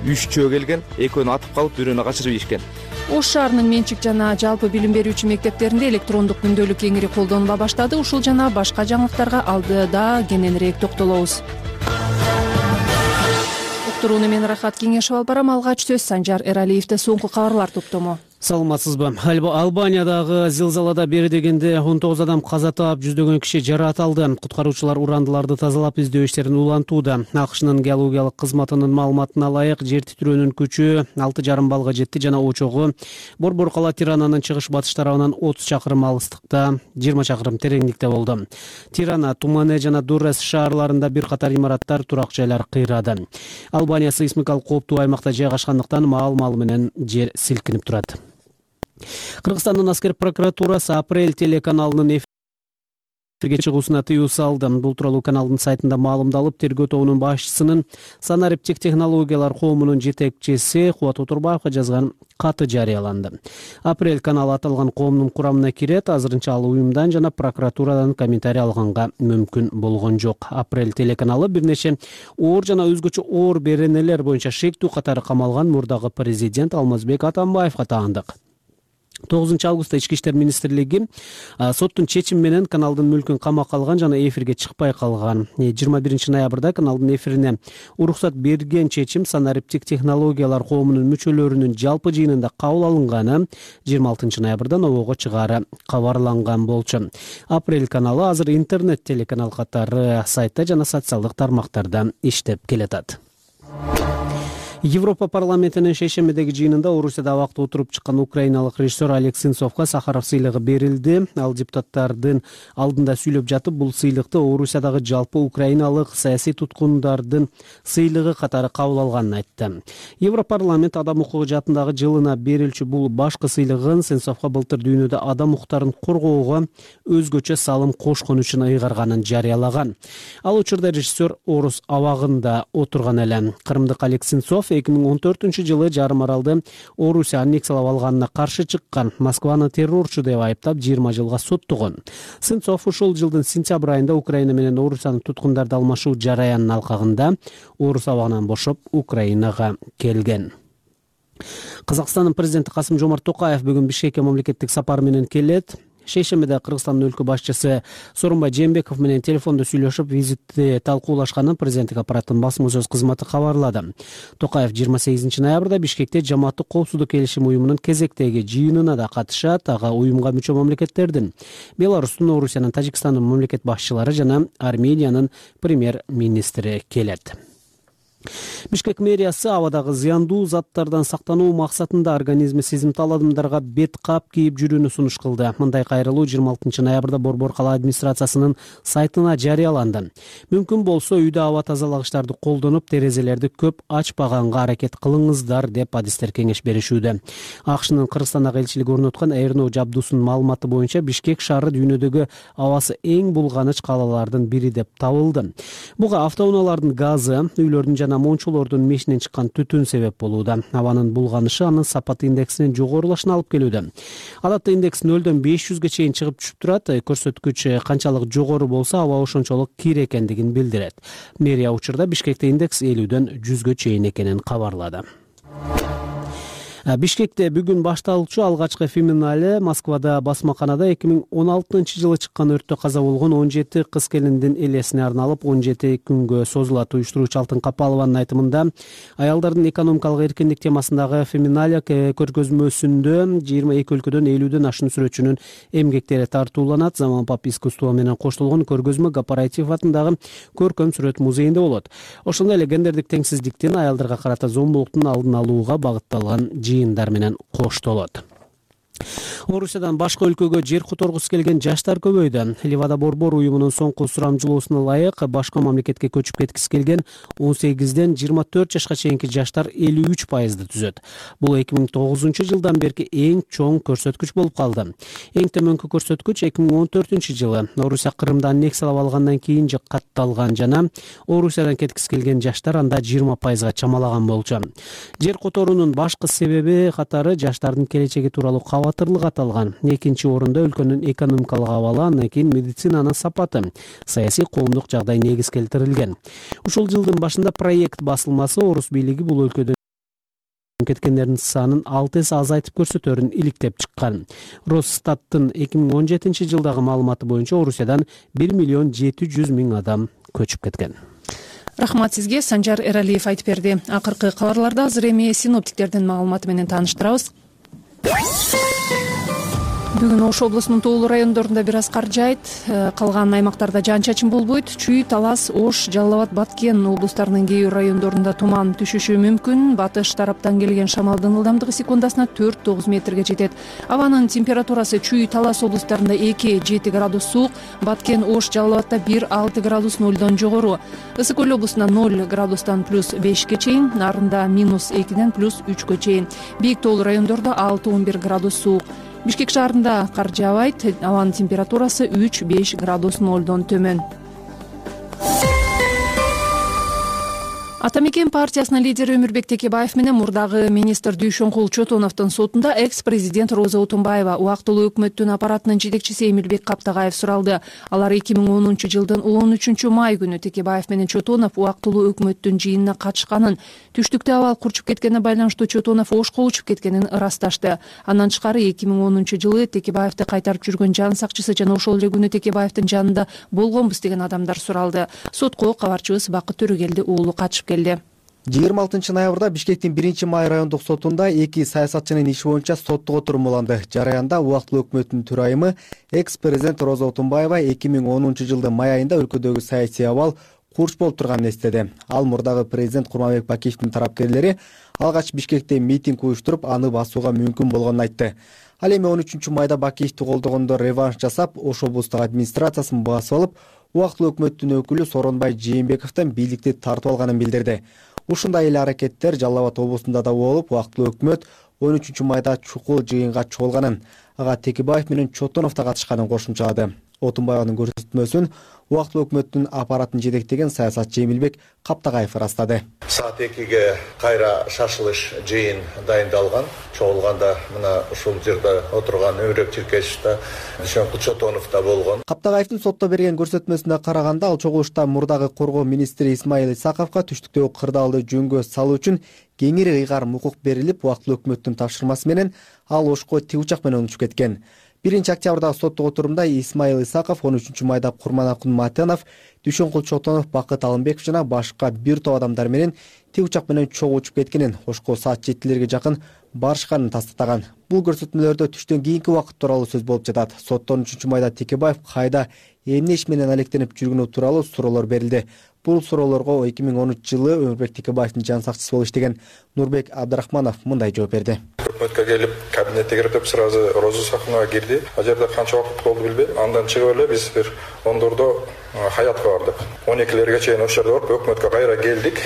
3 чөө келген, экөөнү атып калып, бирөөнү качырып ийишкен. Ош шаарынын менчик жана жалпы билим берүүчү мектептеринде электрондук күндөлүк кеңири колдонула баштады. Ушул жана башка жаңылыктарга алдыда кененирээк токтолобуз. Уктурууну мен Рахат Кеңешев алып барам. Алгач сөз Санжар Эралиевде соңку кабарлар топтому. Саламатсызбы? Албаниядагы зилзалада бери дегенде 19 адам каза таап, жүздөгөн киши жараат алды. Куткаруучулар урандыларды тазалап издөө иштерин улантууда. АКШнын геологиялык кызматынын маалыматына ылайык, жер титирөөнүн күчү 6,5 баллга жетти жана очогу Борбор кала Тирананын чыгыш батыш тарабынан 30 чакырым алыстыкта, 20 чакырым тереңдикте болду. Тирана, Тумане жана Дуррес шаарларында бир катар имараттар, турак жайлар кыйрады. Албания сейсмикалык кооптуу аймакта жайгашкандыктан маал менен жер силкинип турат. Кыргызстандын аскер прокуратурасы апрель телеканалынын эфирге чыгуусуна тыюу салды. Бул тууралуу каналдын сайтында маалымдалып, тергөө тобунун башчысынын санариптик технологиялар коомунун жетекчиси Кубат Отурбаевга жазган каты жарыяланды. Апрель каналы аталган коомдун курамына кирет. Азырынча ал уюмдан жана прокуратурадан комментарий алганга мүмкүн болгон жок. Апрель телеканалы бир нече оор жана өзгөчө оор беренелер боюнча шектүү катары камалган мурдагы президент Алмазбек Атамбаевга таандык. 9 августта Ички иштер министрлиги соттун чечими менен каналдын мүлкүн камакка алган жана эфирге чыкпай калган. 21 ноябрда каналдын эфирине уруксат берген чечим санариптик технологиялар коомунун мүчөлөрүнүн жалпы жыйынында кабыл алынганы 26 ноябрда нобого чыгаары кабарланган болчу. Апрель каналы азыр интернет телеканал катары сайтта жана социалдык тармактарда иштеп келатат. Европа парламентинин шейшембидеги жыйынында Орусияда абакта отуруп чыккан украиналык режиссер Олег Сенцовго Сахаров сыйлыгы берилди. Ал депутаттардын алдында сүйлөп жатып, бул сыйлыкты Орусиядагы жалпы украиналык саясий туткундардын сыйлыгы катары кабыл алганын айтты. Европарламент адам укугу жаатындагы жылына берилчү бул башкы сыйлыгын Сенцовго былтыр дүйнөдө адам укуктарын коргоого өзгөчө салым кошкон үчүн ыйгарганын жарыялаган. Ал учурда режиссер Орус абагында отурган эле. Кырымдык Олег Сенцов 2014 жылы жарым аралды Орусия аннексиялап алганына каршы чыккан, Москваны террорчу деп айыптап 20 жылга соттогон. Сенцов ушул жылдын сентябрь айында Украина менен Орусиянын туткундарды алмашуу жараянын алкагында Орус абагынан бошоп Украинага келген. Казакстандын президенти Касым-Жомарт Токаев бүгүн Бишкекке мамлекеттик сапар менен келет. Шейшембиде Кыргызстандын өлкө башчысы Сооронбай Жээнбеков менен телефондо сүйлөшүп, визитти талкуулашканын президенттик аппараттын басма сөз кызматы кабарлады. Токаев 28 ноябрда Бишкекте Жамааттык коопсуздук келишим уюмунун кезектеги жыйынына да катышат. Ага уюмга мүчө мамлекеттердин Беларустун, Орусиянын, Тажикстандын мамлекет башчылары жана Армениянын премьер-министри келет. Бишкек мэриясы абадагы зыяндуу заттардан сактануу максатында организми сезимтал адамдарга бет кап кийип жүрүүнү сунуш кылды. Мындай кайрылуу 26 ноябрда Борбор кала администрациясынын сайтына жарыяланды. Мүмкүн болсо үйдө аба тазалагычтарды колдонуп, терезелерди көп ачпаганга аракет кылыңыздар деп адистер кеңеш беришүүдө. АКШнын Кыргызстандагы элчилиги орноткон Эрно Жабдусунун маалыматы боюнча Бишкек шаары дүйнөдөгү абасы эң булганыч калалардын бири деп табылды. Буга автоунаалардын газы, үйлөрдүн жана мончолордун мешинен чыккан түтүн себеп болууда. Абанын булганышы анын сапат индексинин жогорулашына алып келүүдө. Адатта индекс 0дон 500ге чейин чыгып түшүп турат. Көрсөткүч канчалык жогору болсо, аба ошончолук кир экендигин билдирет. Мэрия учурда Бишкекте индекс 50дөн 100гө чейин экенин кабарлады. Бишкекте бүгүн башталчу алгачкы феминале Москвада басмаканада 2016-жылы чыккан өрттө каза болгон 17 кыз келиндин элесине арналып 17 күнгө созулат. Уюштуруучу Алтын Капалованын айтымында, аялдардын экономикалык эркиндик темасындагы феминале көргөзмөсүндө 22 өлкөдөн 50дөн ашуун сүрөтчүнүн эмгектери тартууланат. Заманбап искусство менен коштолгон көргөзмө Кооператив атындагы көркөм сүрөт музейинде болот. Ошондой эле гендердик теңсиздиктин, аялдарга карата зомбулуктун алдын алууга багытталган жыйындар менен коштолот. Орусиядан башка өлкөгө жер которгусу келген жаштар көбөйдү. Ливада Борбор уюмунун соңку сурамжылоосуна ылайык башка мамлекетке көчүп кеткиси келген 18ден 24 жашка чейинки жаштар 53%ды түзөт. Бул 2009-жылдан берки эң чоң көрсөткүч болуп калды. Эң төмөнкү көрсөткүч 2014-жылы Орусия Кырымды аннексиялап алгандан кийин катталган жана Орусиядан кеткиси келген жаштар анда 20%га чамалаган болчу. Жер которуунун башкы себеби катары жаштардын келечеги тууралуу кабатырлык аталган. Экинчи орунда өлкөнүн экономикалык абалы, андан кийин медицинанын сапаты, саясий коомдук жагдай негиз келтирилген. Ушул жылдын башында проект басылмасы орус бийлиги бул өлкөдө кеткендердин санын 6 эсе азайтып көрсөтөрүн иликтеп чыккан. Росстаттын 2017-жылдагы маалыматы боюнча Орусиядан 1,7 миллион адам көчүп кеткен. Рахмат сизге, Санжар Эралиев айтып берди. Акыркы кабарларда азыр эми синоптиктердин маалыматы менен тааныштырабыз. Бүгүн Ош облусунун тоолуу райондорунда бир аз кар жаайт, калган аймактарда жаан-чачын болбойт. Чүй, Талас, Ош, Жалал Абад, Баткен облустарынын кээ бир райондорунда туман түшүшү мүмкүн. Батыш тараптан келген шамалдын ылдамдыгы секундасына 4-9 метрге жетет. Абанын температурасы Чүй, Талас облустарында 2-7 градус суук, Баткен, Ош, Жалал Абадда 1-6 градус 0дон жогору. Ысык Көл облусунда 0 градустан +5ге чейин, Нарында -2ден +3гө чейин. Бийик тоолуу райондордо 6-11 градус суук. Бишкек шаарында кар жаабайт, абанын температурасы 3-5 градус 0дон төмөн. Ата мекен партиясынын лидери Өмүрбек Текебаев менен мурдагы министр Дүйшөнкул Чотоновдун сотунда экс-президент Роза Отунбаева, убактылуу өкмөттүн аппаратынын жетекчиси Эмилбек Каптагаев суралды. Алар 2010-жылдын 13-май күнү Текебаев менен Чотонов убактылуу өкмөттүн жыйынына катышканын, түштүктө абал курчуп кеткенине байланыштуу Чотонов Ошко учуп кеткенин ырасташты. Андан тышкары 2010-жылы Текебаевди кайтарып жүргөн жан сакчысы жана ошол эле күнү Текебаевдин жанында болгонбуз деген адамдар суралды. Сотко кабарчыбыз Бакыт Төрөгелди уулу катышып келди. 26 ноябрда Бишкектин 1-май райондук сотунда 2 саясатчынын иши боюнча соттук отурум уланды. Жараянда убактылуу өкмөттүн төрайымы экс-президент Роза Отунбаева 2010-жылдын май айында өлкөдөгү саясий абал курч болуп турганын эстеди. Ал мурдагы президент Курманбек Бакиевдин тарапкерлери алгач Бишкекте митинг уюштуруп, аны басууга мүмкүн болгонун айтты. Ал эми 13-майда Бакиевди колдогондо реванш жасап, Ош облустук администрациясын басып алып, убактылуу өкмөттүн өкүлү Сооронбай Жээнбековдон бийликти тартып алганын билдирди. Ушундай эле аракеттер Жалал Абад облусунда да болуп, убактылуу өкмөт 13-майда чукул жыйынга чогулганын, ага Текебаев менен Чотонов да катышканын кошумчалады. Отунбаеванын көрсөтмөсүн убактылуу өкмөттүн аппаратын жетектеген саясатчы Эмилбек Каптагаев ырастады. Саат 2-ге кайра шашылыш жыйын дайындалган. Чогулганда мына ушул жерде отурган Өмүрбек Чиркешев да, Дүйшөнкул Чотонов да болгон. Каптагаевдин сотто берген көрсөтмөсүнө караганда, ал чогулушта мурдагы коргоо министри Исмаил Исаковго түштүктөгү кырдаалды жөнгө салуу үчүн кеңири ыйгарым укук берилип, убактылуу өкмөттүн тапшырмасы менен ал Ошко тик учак менен учуп кеткен. 1-октябрдагы соттук отурумда Исмаил Исаков, 13-майда Курманакун Матенов, Дүйшөнкул Чотонов, Бакыт Алымбеков жана башка бир топ адамдар менен тик учак менен чогуу учуп кеткенин, Ошко саат 7-лерге жакын барышканын тастатаган. Бул көрсөтмөлөрдө түштөн кийинки убакыт тууралуу сөз болуп жатат. Сотто 13-майда Текебаев кайда эмне иш менен алектенип жүргөнү тууралуу суроолор берилди. Бул суроолорго 2013 жылы Өмүрбек Текебаевдин жан сакчысы болуп иштеген Нурбек Абдрахманов мындай жооп берди. Өкмөткө келип кабинетке кирип деп сразу Роза Сахунага кирди. Ал жерде канча убакыт болду билбейм. Андан чыгып эле биз бир 10дордо Хаятка бардык. 12лерге чейин ошол жерде болуп өкмөткө кайра келдик.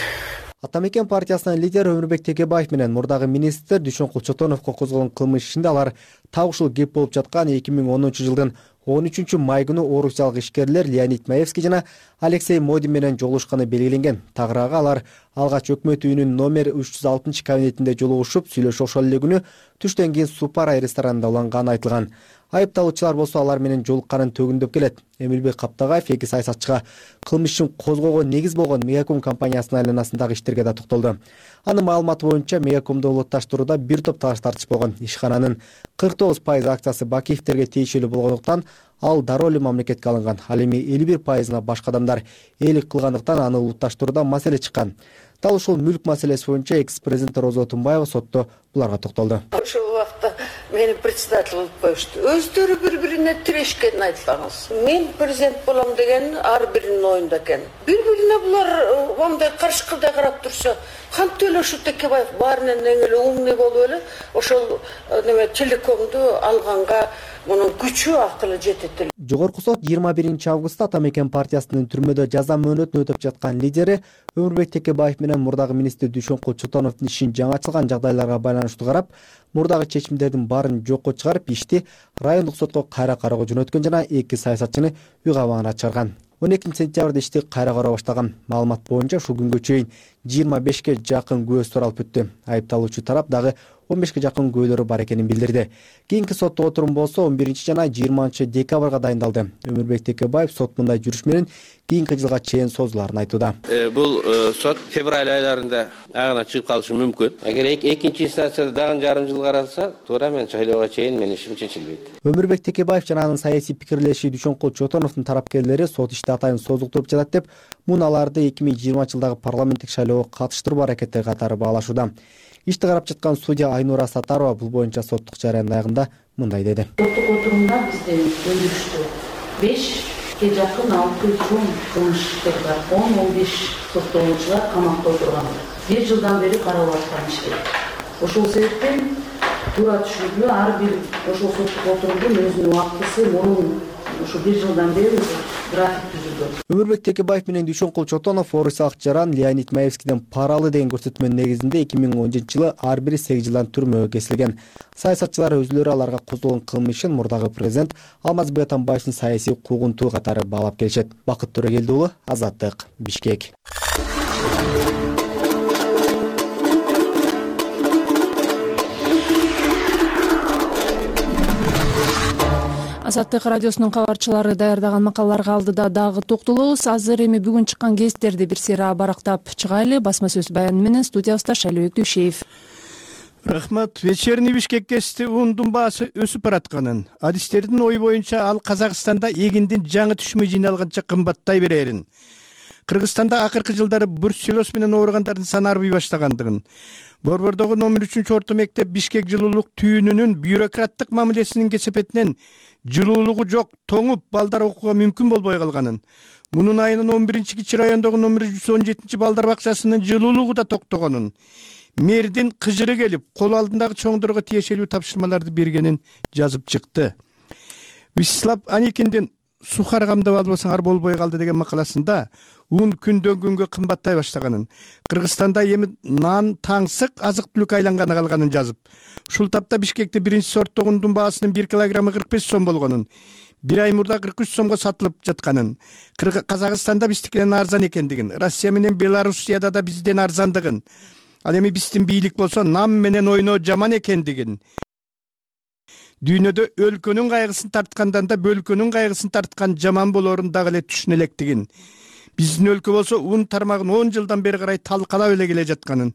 Ата мекен партиясынын лидери Өмүрбек Текебаев менен мурдагы министр Дүйшөнкул Чотоновго козголгон кылмыш ишинде алар так ушул кеп болуп жаткан 2010 жылдын 13 май күнү орусиялык ишкерлер Леонид Маевский жана Алексей Модин менен жолугушканы белгиленген. Тагыраагы алар алгач өкмөт үйүнүн номер 306 кабинетинде жолугушуп сүйлөшүп ошол эле күнү түштөн кийин Супарай ресторанында уланганы айтылган. Айыпталуучулар болсо алар менен жолукканын төгүндөп келет. Эмилбек Каптагаев эки саясатчыга кылмыш ишин козгоого негиз болгон Мегаком компаниясынын айланасындагы иштерге да токтолду. Анын маалыматы боюнча Мегакомду улутташтырууда бир топ талаш тартыш болгон. Ишкананын 49% акциясы Бакиевтерге тиешелүү болгондуктан ал дароо эле мамлекетке алынган. Ал эми 51%-ына башка адамдар ээлик кылгандыктан аны улутташтырууда маселе чыккан. Дал ушул мүлк маселеси боюнча экс-президент Роза Отунбаева сотто буларга токтолду. Ошол убакта мени председатель кылып коюшту. Өздөрү бири-бирине тирешкенин айтпаңыз. Мен президент болом деген ар биринин оюнда экен. Бири-бирине булар мындай каршыкырдай карап турса, кантип эле ушу Текебаев баарынан эң эле умный болуп эле ошол неме телекомду алганга мунун күчү акылы жетет эле. Жогорку сот 21 августта Ата мекен партиясынын түрмөдө жаза мөөнөтүн өтөп жаткан лидери Өмүрбек Текебаев менен мурдагы министр Дүйшөнкул Чотоновдун ишин жаңачылган жагдайларга байланыштуу карап, мурдагы чечимдердин баарын жокко чыгарып, ишти райондук сотко кайра кароого жөнөткөн жана эки саясатчыны үй кабагына чыгарган. 12 сентябрда ишти кайра кароо баштаган. Маалымат боюнча ушул күнгө чейин 25ке жакын күбө суралып өттү. Айыпталуучу тарап дагы 15ке жакын күбөлөрү бар экенин билдирди. Кийинки соттук отурум болсо 11 жана 20 декабрга дайындалды. Өмүрбек Текебаев сот мындай жүрүш менен кийинки жылга чейин созулаарын айтууда. Бул сот февраль айларында агына чыгып калышы мүмкүн. Эгер экинчи инстанцияда дагы жарым жыл каралса, туура мен шайлоого чейин менин ишим чечилбейт. Өмүрбек Текебаев жана анын саясий пикирлеши Дүйшөнкул Чотоновдун тарапкерлери сот ишти атайын созултуруп жатат деп, муну аларды 2020 жылдагы парламенттик шайлоого катыштыруу аракеттери катары баалашууда. Ишти карап жаткан судья Айнура Сатарова бул боюнча соттук жарыяндын аягында мындай деди. Соттук отурумда бизде өндүрүштү 5ке жакын 600 чоң кылмыш иштер бар. 10-15 соттолуучулар камакта отурган. 1 жылдан бери каралып аткан иштер. Ошол себептен туура түшүнүклүү ар бир ошол соттук отурумдун өзүнүн убактысы мурун ушу 1 жылдан бери график түзүлгөн. Өмүрбек Текебаев менен Дүйшөнкул Чотонов орусиялык жаран Леонид Маевскийден пара алды деген көрсөтмөнүн негизинде 2010 жылы ар бири 8 жылдан түрмөгө кесилген. Саясатчылар өзүлөрү аларга козголгон кылмышын мурдагы президент Алмазбек Атамбаевдин саясий куугунтугу катары баалап келишет. Бакыт Төрөгелди уулу, Азаттык, Бишкек. Азаттык радиосунун кабарчылары даярдаган макалаларга алдыда дагы токтолобуз. Азыр эми бүгүн чыккан гезиттерди бир сыйра барактап чыгайлы. Басма сөз баяны менен студиябызда Шайлообек Дүйшеев. Рахмат. Вечерний Бишкек гезити ундун баасы өсүп баратканын, адистердин ою боюнча ал Казакстанда эгиндин жаңы түшүмү жыйналганча кымбаттай берерин, Кыргызстанда акыркы жылдары бруцеллез менен ооругандардын саны арбый баштагандыгын, Борбордогу номер 3 орто мектеп Бишкек жылуулук түйүнүнүн бюрократтык мамилесинин кесепетинен жылуулугу жок, тоңуп, балдар окууга мүмкүн болбой калганын, мунун айынын 11-кичи райондогу номер 117 балдар бакчасынын жылуулугу да токтогонун, мэрдин кыжыры келип, кол алдындагы чоңдорго тиешелүү тапшырмаларды бергенин жазып чыкты. Вячеслав Аникиндин сухар камдап албасаңар болбой калды деген макаласында ун күндөн күнгө кымбаттай баштаганын, Кыргызстанда эми нан таңсык азык түлүк айланганы калганын жазып, ушул тапта Бишкекте биринчи сорттогу ундун баасынын 1 килограммы 45 сом болгонун, бир ай мурда 43 сомго сатылып жатканын, Казакстанда биздикинен арзан экендигин, Россия менен Белоруссияда да бизден арзандыгын, ал эми биздин бийлик болсо нам менен ойноо жаман экендигин, дүйнөдө өлкөнүн кайгысын тарткандан да бөлкөнүн кайгысын тарткан жаман болоорун дагы эле түшүнө электигин, биздин өлкө болсо ун тармагын 10 жылдан бери карай талкалап эле келе жатканын,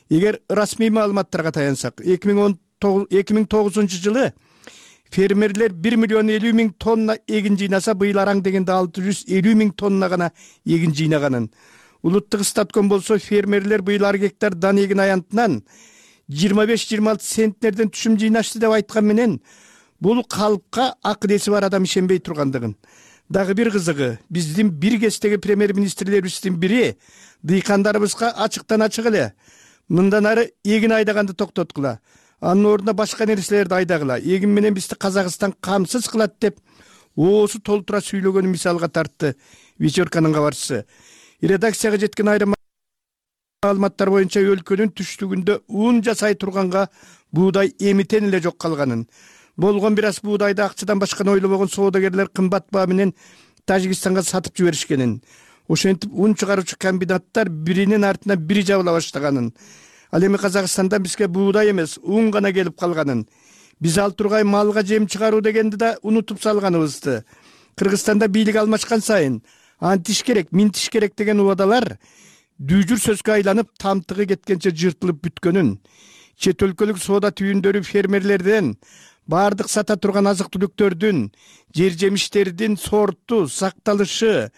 эгер расмий маалыматтарга таянсак, 2009 жылы фермерлер 1,50,000 тонна эгин жыйнаса, быйыл араң дегенде 650,000 тонна гана эгин жыйнаганын, улуттук статком болсо фермерлер быйыл ар гектар дан эгин аянтынан 25-26 центнерден түшүм жыйнашты деп айткан менен, бул калпка акыл эси бар адам ишенбей тургандыгын, Дагы бир кызыгы, биздин бир кездеги премьер-министрлерибиздин бири дыйкандарыбызга ачыктан ачык эле мындан ары эгин айдаганды токтоткула, анын ордуна башка нерселерди айдагыла, эгин менен бизди Казакстан камсыз кылат деп оозу толтура сүйлөгөнүн мисалга тартты вечерканын кабарчысы. Редакцияга жеткен айрым маалыматтар боюнча өлкөнүн түштүгүндө ун жасай турганга буудай эмитен эле жок калганын, болгон бир аз буудайды акчадан башканы ойлобогон соодагерлер кымбат баа менен Тажикстанга сатып жиберишкенин, ошентип ун чыгаруучу комбинаттар биринин артынан бири жабыла баштаганын, ал эми Казакстандан бизге буудай эмес ун гана келип калганын, биз ал тургай малга жем чыгаруу дегенди да унутуп салганыбызды, Кыргызстанда бийлик алмашкан сайын антиш керек, минтиш керек деген убадалар дүүжүр сөзгө айланып тамтыгы кеткенче жыртылып бүткөнүн, чет өлкөлүк соода түйүндөрү фермерлерден баардык сата турган азык түлүктөрдүн, жер жемиштердин сорту, сакталышы,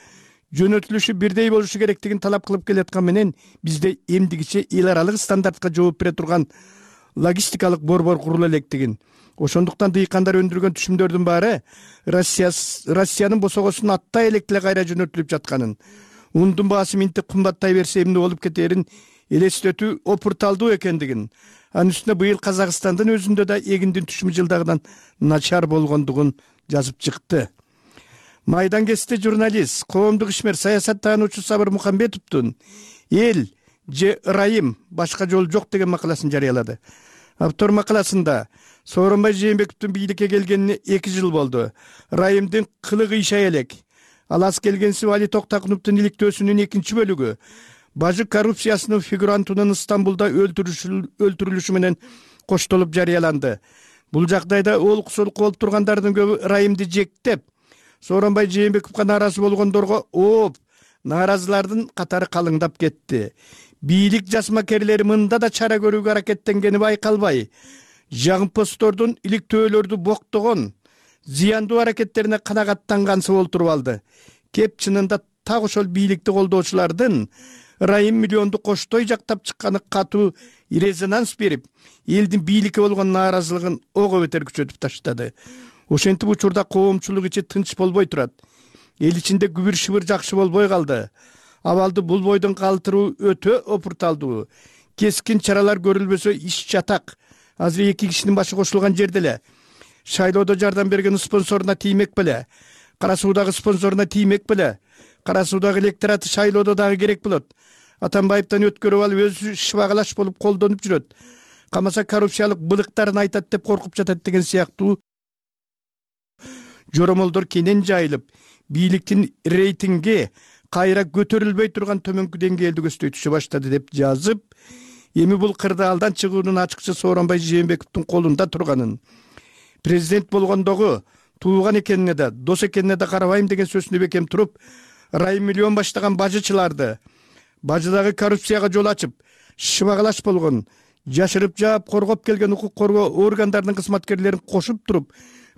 жөнөтүлүшү бирдей болушу керектигин талап кылып келаткан менен бизде эмдигиче эл аралык стандартка жооп бере турган логистикалык борбор курула электигин, ошондуктан дыйкандар өндүргөн түшүмдөрдүн баары Россиянын босогосун аттай электе кайра жөнөтүлүп жатканын, ундун баасы минтип кымбаттай берсе эмне болуп кетерин элестетүү опурталдуу экендигин, анын үстүнө быйыл Казакстандын өзүндө да эгиндин түшүмү жылдагыдан начар болгондугун жазып чыкты. Майдан кести журналист, коомдук ишмер, саясаттануучу Сабыр Мукамбетовдун «Эл же ырайым, башка жол жок» деген макаласын жарыялады. Автор макаласында Сооронбай Жээнбековдун бийликке келгенине 2 жыл болду. Ырайымдын кылыгы ишай элек. Ал аз келгенси Али Токтакуновдун иликтөөсүнүн 2 бөлүгү бажы коррупциясынын фигурантынын Стамбулда өлтүрүлүшү менен коштолуп жарыяланды. Бул жагдайда олук-солук болуп тургандардын көбү ырайымды жектеп, Сооронбай Жээнбековго нааразы болгондорго ооп, нааразылардын катары калыңдап кетти. Бийлик жасмакерлери мында да чара көрүүгө аракеттенгени байкалбай, жагымпоздордун иликтөөлөрдү боктогон, зыяндуу аракеттерине канагаттангансы болтуруп алды. Кеп чынында так ошол бийликти колдоочулардын ырайым миллионду коштой жактап чыкканы катуу резонанс берип, элдин бийликке болгон нааразылыгын ого бетер күчөтүп таштады. Ошентип учурда коомчулук ичи тынч болбой турат. Эл ичинде күбүр-шыбыр жакшы болбой калды. Абалды бул бойдон калтыруу өтө опурталдуу. Кескин чаралар көрүлбөсө иш чатак. Азыр 2 кишинин башы кошулган жерде эле. Шайлоодо жардам берген спонсоруна тиймек беле? Кара суудагы спонсоруна тиймек беле? Кара суудагы электораты шайлоодо дагы керек болот. Атамбаевден өткөрүп алып өзү шыбагалаш болуп колдонуп жүрөт. Камаса коррупциялык былыктарын айтат деп коркуп жатат деген сыяктуу жоромолдор кенен жайылып, бийликтин рейтинги кайра көтөрүлбөй турган төмөнкү деңгээлди көздөй түшө баштады деп жазып, эми бул кырдаалдан чыгуунун ачыкча Сооронбай Жээнбековдун колунда турганын, президент болгондогу тууган экенине да, дос экенине да карабайм деген сөзүнө бекем туруп, ырайым миллион баштаган бажычыларды, бажыдагы коррупцияга жол ачып, шыбагалаш болгон, жашырып жаап коргоп келген укук коргоо органдарынын кызматкерлерин кошуп туруп,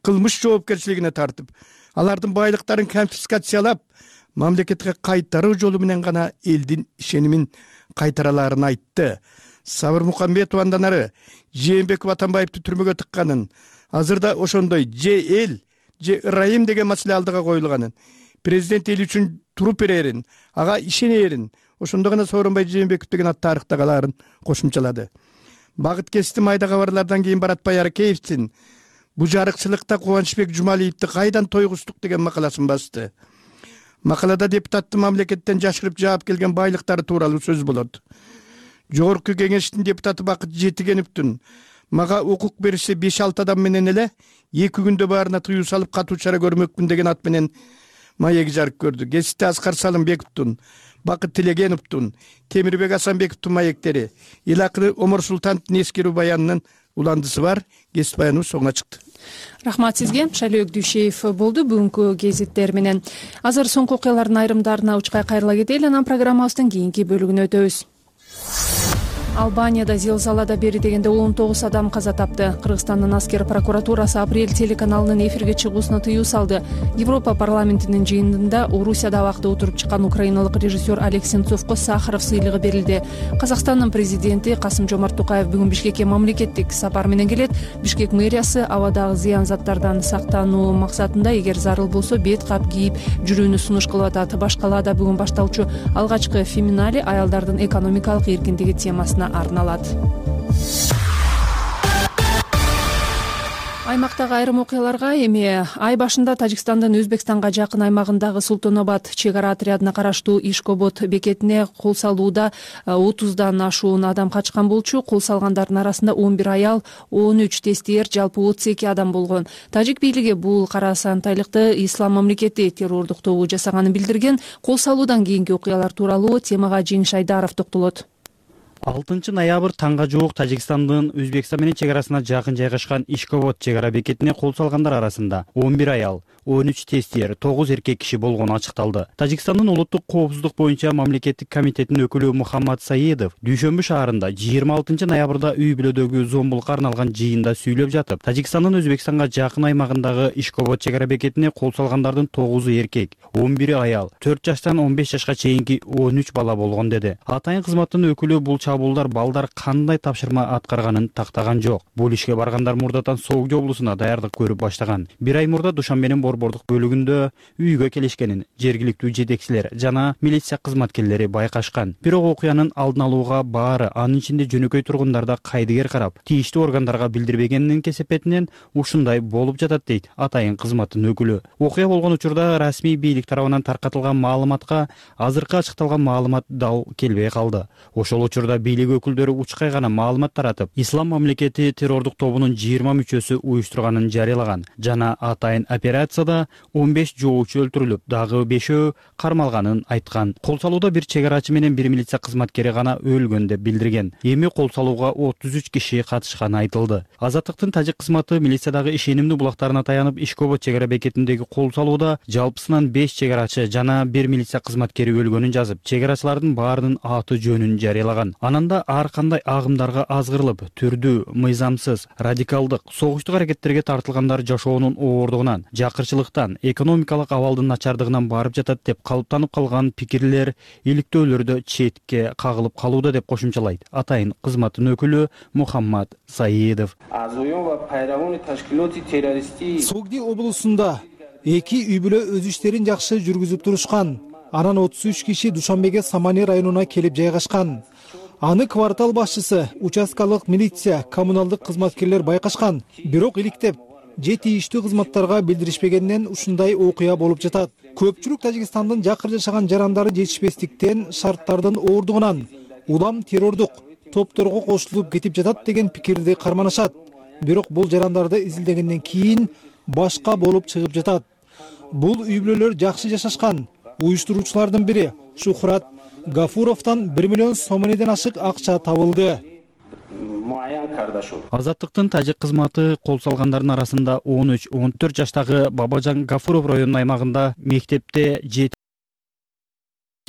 кылмыш жоопкерчилигине тартып, алардын байлыктарын конфискациялап, мамлекетке кайтаруу жолу менен гана элдин ишенимин кайтараларын айтты. Сабыр Мукамбетов андан ары Жээнбеков Атамбаевди түрмөгө тыкканын, азырда ошондой же эл, же ырайым деген маселе алдыга коюлганын, президент эл үчүн туруп берерин, ага ишенерин, ошондо гана Сооронбай Жээнбеков деген ат тарыхта калаарын кошумчалады. Багыт кести майда кабарлардан кийин Баратбай Аракеевдин бу жарыкчылыкта Кубанычбек Жумалиевди кайдан тойгуздук деген макаласын басты. Макалада депутаттын мамлекеттен жашырып жаап келген байлыктары тууралуу сөз болот. Жогорку кеңештин депутаты Бакыт Жетигеновдун мага укук бериши 5-6 адам менен эле 2 күндө баарына тыюу салып катуу чара көрмөкмүн деген ат менен маеги жарык көрдү. Кесипте Аскар Салымбековдун, Бакыт Тилегеновдун, Темирбек Асанбековдун маектери, Илакы Омар Султановдун эскерүү баянынын уландысы бар. Кесип баяныбыз соңуна чыкты. Рахмат сизге. Шайлоок Дүйшеев болду бүгүнкү гезиттер менен. Азыр соңку окуялардын айрымдарына учкай кайрыла кетели, анан программабыздын кийинки бөлүгүнө өтөбүз. Албанияда зилзалада бери дегенде 19 адам каза тапты. Кыргызстандын аскер прокуратурасы апрель телеканалынын эфирге чыгуусуна тыюу салды. Европа парламентинин жыйынында Орусияда абакта отуруп чыккан украиналык режиссер Олег Сенцовго Сахаров сыйлыгы берилди. Казакстандын президенти Касым-Жомарт Токаев бүгүн Бишкекке мамлекеттик сапар менен келет. Бишкек мэриясы абадагы зыян заттардан сактануу максатында эгер зарыл болсо бет кап кийип жүрүүнү сунуш кылып атат. Баш калаада бүгүн башталчу алгачкы феминале аялдардын экономикалык эркиндиги темасына арналат. Аймактагы айрым окуяларга эми ай башында Тажикстандын Өзбекстанга жакын аймагындагы Султонобад чек ара отрядына караштуу Ишкобод бекетине кол салууда 30дан ашуун адам качкан болчу. Кол салгандардын арасында 11 аял, 13 тестиер, жалпы 32 адам болгон. Тажик бийлиги бул кара сантайлыкты ислам мамлекети террордук тобу жасаганын билдирген. Кол салуудан кийинки окуялар тууралуу темага Жеңиш Айдаров токтолот. 6 ноябрь таңга жуук Тажикстандын Өзбекстан менен чек арасына жакын жайгашкан Ишкобод чек ара бекетине кол салгандар арасында 11 аял, 13 тестиер, 9 эркек киши болгону ачыкталды. Тажикстандын улуттук коопсуздук боюнча мамлекеттик комитетинин өкүлү Мухаммад Саидов Дүйшөмбү шаарында 26 ноябрда үй бүлөдөгү зомбулукка арналган жыйында сүйлөп жатып, Тажикстандын Өзбекстанга жакын аймагындагы Ишкобод чек ара бекетине кол салгандардын 9 эркек, 11 аял, 4 жаштан 15 жашка чейинки 13 бала болгон деди. Атайын кызматтын өкүлү бул чабуулдар балдар кандай тапшырма аткарганын тактаган жок. Бул ишке баргандар мурдатан Согдо облусуна даярдык көрүп баштаган. Бир ай мурда Душанбенин борбордук бөлүгүндө үйгө келишкенин жергиликтүү жетекчилер жана милиция кызматкерлери байкашкан. Бирок окуянын алдын алууга баары, анын ичинде жөнөкөй тургундарда кайдыгер карап, тийиштүү органдарга билдирбегенинин кесепетинен ушундай болуп жатат дейт атайын кызматтын өкүлү. Окуя болгон учурда расмий бийлик тарабынан таркатылган маалыматка азыркы ачыкталган маалымат дал келбей калды. Ошол учурда бийлик өкүлдөрү учкай гана маалымат таратып, ислам мамлекети террордук тобунун 20 мүчөсү уюштурганын жарыялаган жана атайын операцияда 15 жоочу өлтүрүлүп, дагы 5 кармалганын айткан. Кол салууда бир чек арачы менен бир милиция кызматкери гана өлгөн деп билдирген. Эми кол салууга 33 киши катышканы айтылды. Азаттыктын тажик кызматы милициядагы ишенимдүү булактарына таянып, Ишкобод чек ара бекетиндеги кол салууда жалпысынан 5 чек арачы жана бир милиция кызматкери өлгөнүн жазып, чек арачылардын баарынын аты жөнүн жарыялаган. Ананда ар кандай агымдарга азгырылып, түрдүү, мыйзамсыз, радикалдык, согуштук аракеттерге тартылгандар жашоонун оордугунан, жакырчылыктан, экономикалык абалдын начардыгынан барып жатат деп калыптанып калган пикирлер иликтөөлөрдө четке кагылып калууда деп кошумчалайт атайын кызматтын өкүлү Мухаммад Саидов. Согди облусунда 2 үй бүлө өз иштерин жакшы жүргүзүп турушкан. Анан 33 киши Душанбеге Самане районуна келип жайгашкан. Аны квартал башчысы, участкалык милиция, коммуналдык кызматкерлер байкашкан. Бирок иликтеп, же тийиштүү кызматтарга билдиришпегенден ушундай окуя болуп жатат. Көпчүлүк Тажикстандын жакыр жашаган жарандары жетишпестиктен, шарттардын оордугунан улам террордук топторго кошулуп кетип жатат деген пикирди карманышат. Бирок бул жарандарды изилдегенден кийин башка болуп чыгып жатат. Бул үй бүлөлөр жакшы жашашкан. Уюштуруучулардын бири Шухрат Гафуровдон 1 миллион сомонеден ашык акча табылды. Азаттыктын тажик кызматы кол салгандардын арасында 13-14 жаштагы Бабажан Гафуров районунун аймагында мектепте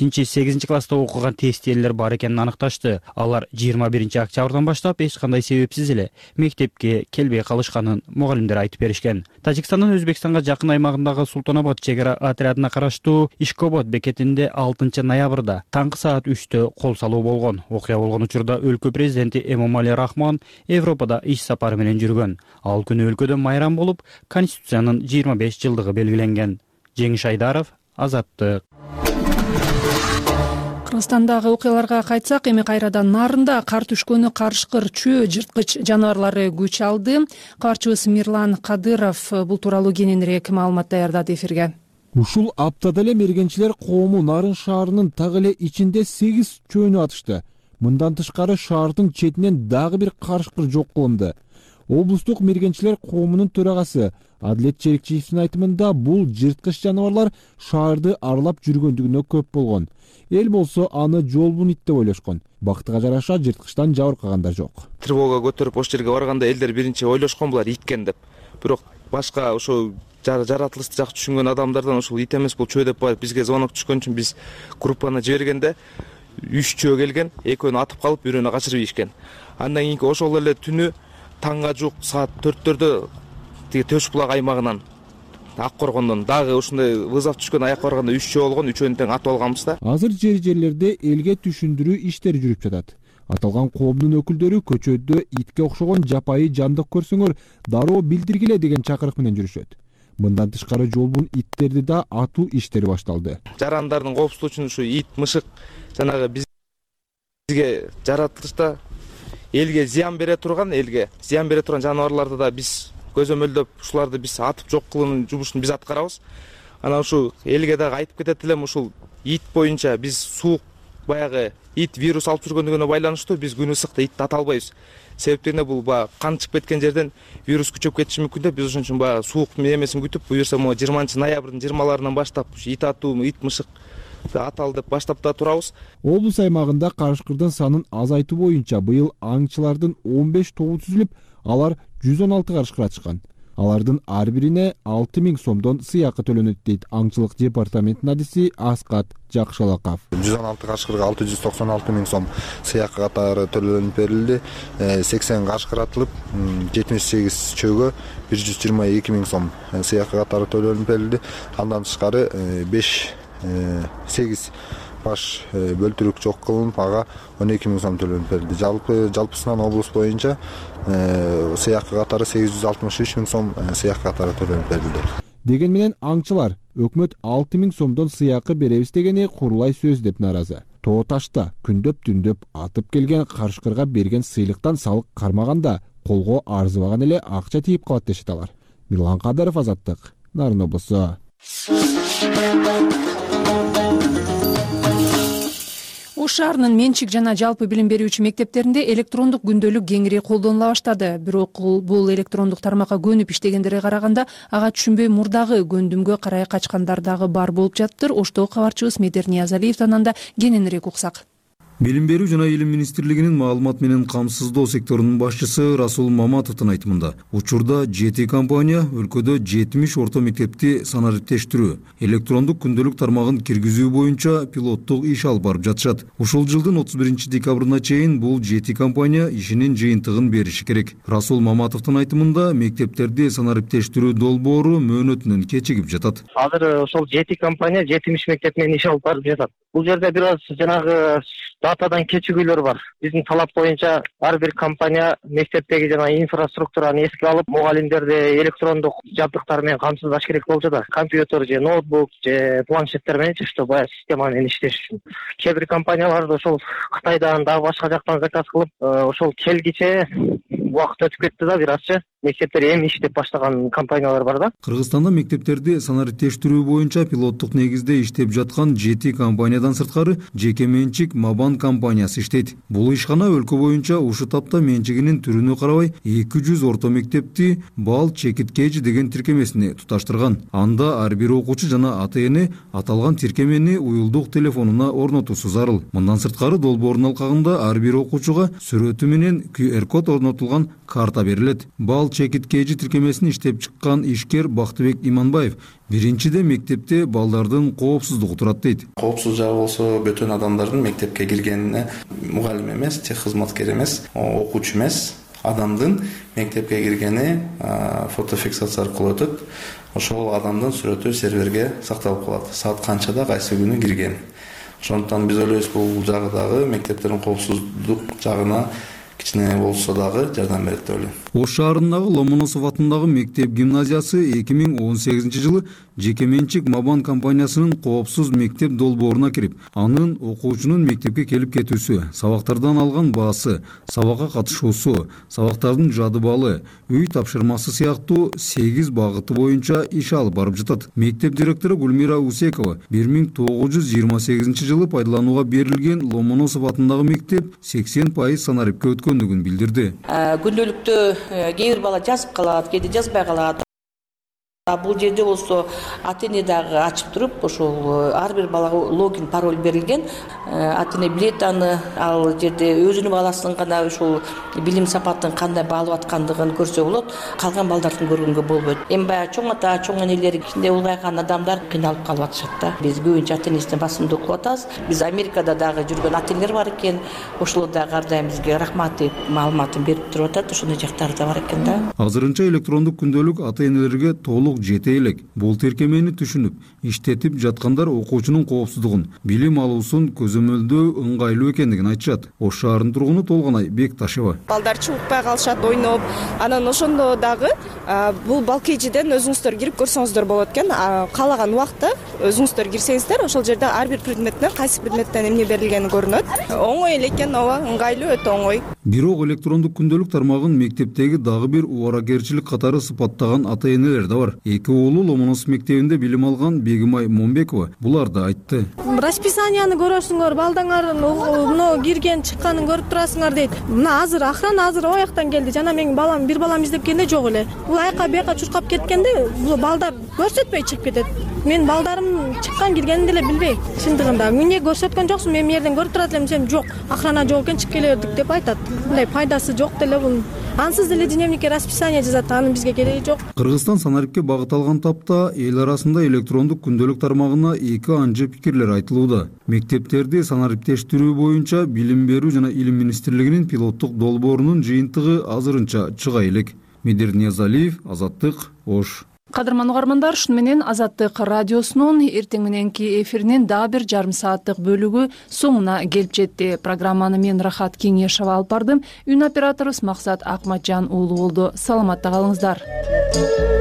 7-8 класста окуган тестиерлер бар экенин аныкташты. Алар 21 октябрдан баштап эч кандай себепсиз эле мектепке келбей калышканын мугалимдер айтып беришкен. Тажикстандын Өзбекстанга жакын аймагындагы Султонобад чек ара отрядына караштуу Ишкобод бекетинде 6 ноябрда таңкы саат 3-тө кол салуу болгон. Окуя болгон учурда өлкө президенти Эмомали Рахмон Европада иш сапары менен жүргөн. Ал күнү өлкөдө майрам болуп, Конституциянын 25 жылдыгы белгиленген. Жеңиш Айдаров, Азаттык. Кыргызстандагы окуяларга кайтсак, эми кайрадан Нарында кар түшкөнү карышкыр чөө жырткыч жаныбарлары күч алды. Кабарчыбыз Мирлан Кадыров бул тууралуу кененирээк маалымат даярдады эфирге. Ушул аптада эле мергенчилер коому Нарын шаарынын так эле ичинде 8 чөөнү атышты. Мындан тышкары шаардын четинен дагы бир карышкыр жок кылынды. Облустук мергенчилер коомунун төрагасы Адилет Черикчиевдин айтымында бул жырткыч жаныбарлар шаарды аралап жүргөндүгүнө көп болгон. Эл болсо аны жолбун ит деп ойлошкон. Бактыга жараша жырткычтан жабыркагандар жок. Тревога көтөрүп ош жерге барганда элдер биринчи ойлошкон булар иткен деп. Бирок башка ошо жаратылышты жакшы түшүнгөн адамдардан ушул ит эмес бул чөө деп барып бизге звонок түшкөн үчүн биз группаны жибергенде 3 чөө келген, экөөнү атып калып, бирөөнү качырып ийишкен. Андан кийинки ошол эле түнү таңга жуук саат 4-төрдө тиги Төш булак аймагынан Ак Коргондон дагы ушундай вызов түшкөн, аякка барганда 3 чөө болгон, үчөөнү тең атып алганбыз да. Азыр жерлерде элге түшүндүрүү иштери жүрүп жатат. Аталган коомдун өкүлдөрү көчөдө итке окшогон жапайы жандык көрсөңөр дароо билдиргиле деген чакырык менен жүрүшөт. Мындан тышкары жолбун иттерди да атуу иштери башталды. Жарандардын коопсуздугу үчүн ушу ит, мышык жанагы бизге жаратылышта элге зыян бере турган жаныбарларды да биз көзөмөлдөп, ушуларды биз атып жок кылуунун жумушун биз аткарабыз. Анан ушу элге дагы айтып кетет элем, ушул ит боюнча биз суук баягы ит вирус алып жүргөндүгүнө байланыштуу биз күн ысыкта итти ата албайбыз. Себептени бул баягы кан чыгып кеткен жерден вирус күчөп кетиши мүмкүн деп, биз ошон үчүн баягы суук эмесин күтүп, буюрса 20-ноябрдын 20-ларынан баштап ит атуу, ит мышык аталы деп баштап да турабыз. Облус аймагында карышкырдын санын азайтуу боюнча быйыл аңчылардын 15 тобу түзүлүп, алар 116 карышкыр ачышкан. Алардын ар бирине 6000 сомдон сыйакы төлөнөт дейт аңчылык департаментинин адиси Аскат Жакшалаков. 116 карышкырга 696 000 сом сыйакы катары төлөнүп берилди. 80 карышкыр атылып, 78 чөөгө 122 000 сом сыйакы катары төлөнүп берилди. Андан тышкары 8 баш бөлтүрүк жок кылынып, ага 12 000 сом төлөнүп берилди. Жалпысынан облус боюнча сыйакы катары 863 000 сом сыйакы катары төлөнүп берилди. Деген менен аңчылар өкмөт 6 000 сомдон сыйакы беребиз дегени курулай сөз деп наразы. Тоо ташта күндөп-түндөп атып келген карышкырга берген сыйлыктан салык кармаганда колго арзыбаган эле акча тийип калат дешет алар. Мирлан Кадыров, Азаттык, Нарын облусу. Ош шаарынын менчик жана жалпы билим берүүчү мектептеринде электрондук күндөлүк кеңири колдонула баштады. Бирок бул электрондук тармакка көнүп иштегендерге караганда ага түшүнбөй мурдагы көндүмгө карай качкандар дагы бар болуп жатыптыр. Оштогу кабарчыбыз Медер Ниязалиевден анда кененирээк уксак. Билим берүү жана илим министрлигинин маалымат менен камсыздоо секторунун башчысы Расул Маматовдун айтымында, учурда 7 компания өлкөдө 70 орто мектепти санариптештирүү, электрондук күндөлүк тармагын киргизүү боюнча пилоттук иш алып барып жатышат. Ушул жылдын 31-декабрына чейин бул 7 компания ишинин жыйынтыгын бериши керек. Расул Маматовдун айтымында, мектептерди санариптештирүү долбоору мөөнөтүнөн кечигип жатат. Азыр ошол 7 компания 70 мектеп менен иш алып барып жатат. Бул жерде бир аз жанагы датадан кечигүүлөр бар. Биздин талап боюнча ар бир компания мектептеги жана инфраструктураны эске алып, мугалимдерди электрондук жабдыктар менен камсыздаш керек болуп жатат. Компьютер же ноутбук же планшеттер менен ошто баягы система менен иштеш үчүн. Кээ бир компанияларды ошол Кытайдан дагы башка жактан заказ кылып, ошол келгиче убакыт өтүп кетти да, бир азчы мектептер эми иштеп баштаган компаниялар бар да. Кыргызстанда мектептерди санариптештирүү боюнча пилоттук негизде иштеп жаткан 7 компаниядан сырткары жеке менчик Мабан компаниясы иштейт. Бул ишкана өлкө боюнча ушу тапта менчигинин түрүнө карабай 200 орто мектепти бал чекиткеji деген тиркемесине туташтырган. Анда ар бир окуучу жана ата-эне аталган тиркемени уюлдук телефонуна орнотуусу зарыл. Мындан сырткары долбоордун алкагында ар бир окуучуга сүрөтү менен QR код орнотулган карта берилет. Бал чекиткеji тиркемесин иштеп чыккан ишкер Бактыбек Иманбаев биринчиде мектепте балдардын коопсуздугу турат дейт. Коопсуз жагы болсо бөтөн адамдардын мектепке киргенине мугалим эмес, тех кызматкер эмес, окуучу эмес адамдын мектепке киргени фотофиксация аркылуу өтөт. Ошол адамдын сүрөтү серверге сакталып калат. Саат канчада кайсы күнү кирген. Ошондуктан биз ойлойбуз, бул жагы дагы мектептердин коопсуздук жагына кичине болсо дагы жардам берет деп ойлойм. Ош шаарындагы Ломоносов атындагы мектеп гимназиясы 2018 жылы жеке менчик Мабан компаниясынын коопсуз мектеп долбооруна кирип, анын окуучунун мектепке келип кетүүсү, сабактардан алган баасы, сабакка катышуусу, сабактардын жады балы, үй тапшырмасы сыяктуу 8 багыты боюнча иш алып барып жатат. Мектеп директору Гүлмира Усекова 1928 жылы пайдаланууга берилген Ломоносов атындагы мектеп 80% санарипке өткөндүгүн билдирди. Күндөлүктө кээ бир бала жазып калат, кээде жазбай калат. Бул жерде болсо ата эне дагы ачып туруп ошол ар бир балага логин пароль берилген. Ата эне билет аны, ал жерде өзүнүн баласынын гана ушул билим сапатын кандай баалап аткандыгын көрсө болот. Калган балдардын көргөнгө болбойт. Эми баягы чоң ата, чоң энелер, кичине улгайган адамдар кыйналып калып атышат да. Биз көбүнчө ата энесине басымдуу кылып атабыз. Биз Америкада дагы жүргөн ата энелер бар экен. Ошолор дагы ар дайым бизге рахмат деп маалыматын берип туруп атат. Ошондой жактары да бар экен да. Азырынча электрондук күндөлүк ата энелерге толук жете элек. Бул тиркемени түшүнүп, иштетип жаткандар окуучунун коопсуздугун, билим алуусун көзөмөлдөө ыңгайлуу экендигин айтышат. Ош шаарынын тургуну Толгонай Бекташева. Балдар чукпай калышат, ойноп, анан ошондо дагы бул балкейжиден өзүңүздөр кирип көрсөңүздөр болот экен. Каалаган убакта өзүңүздөр кирсеңиздер, ошол жерде ар бир предметтен кайсы предметтен эмне берилгени көрүнөт. Оңой эле экен, ооба, ыңгайлуу, өтө оңой. Бирок электрондук күндөлүк тармагын мектептеги дагы бир убаракерчилик катары сыпаттаган ата энелер да бар. Эки уулу Ломоносов мектебинде билим алган Бегимай Момбекова буларды айтты. Расписанияны көрөсүңөр, балдаңардын мына кирген чыкканын көрүп турасыңар дейт. Мына азыр охрана о жактан келди. Жана менин балам, бир балам издеп келгенде жок эле. Бул айка бияка чуркап кеткенде бул балдар көрсөтпөй чыгып кетет. Мен балдарым чыккан киргенин деле билбей. Чындыгында эмне көрсөткөн жоксуң, мен жерден көрүп турат элем десем, жок, охрана жок экен, чыгып келе бердик деп айтат. Мындай пайдасы жок деле бул. Ансыз деле дневникке расписание жазат, анын бизге кереги жок. Кыргызстан санарипке багыт алган тапта эл арасында электрондук күндөлүк тармагына эки анча пикирлер айтылууда. Мектептерди санариптештирүү боюнча билим берүү жана илим министрлигинин пилоттук долбоорунун жыйынтыгы азырынча чыга элек. Медер Ниязалиев, Азаттык, Ош. Кадырман угармандар, шуну менен Азаттык радиосунун эртең мененки эфиринин дагы бир жарым сааттык бөлүгү соңуна келип жетти. Программаны мен Рахат Кеңешова алып бардым. Үн операторубуз Максат Акматжан уулу болду. Саламатта калыңыздар.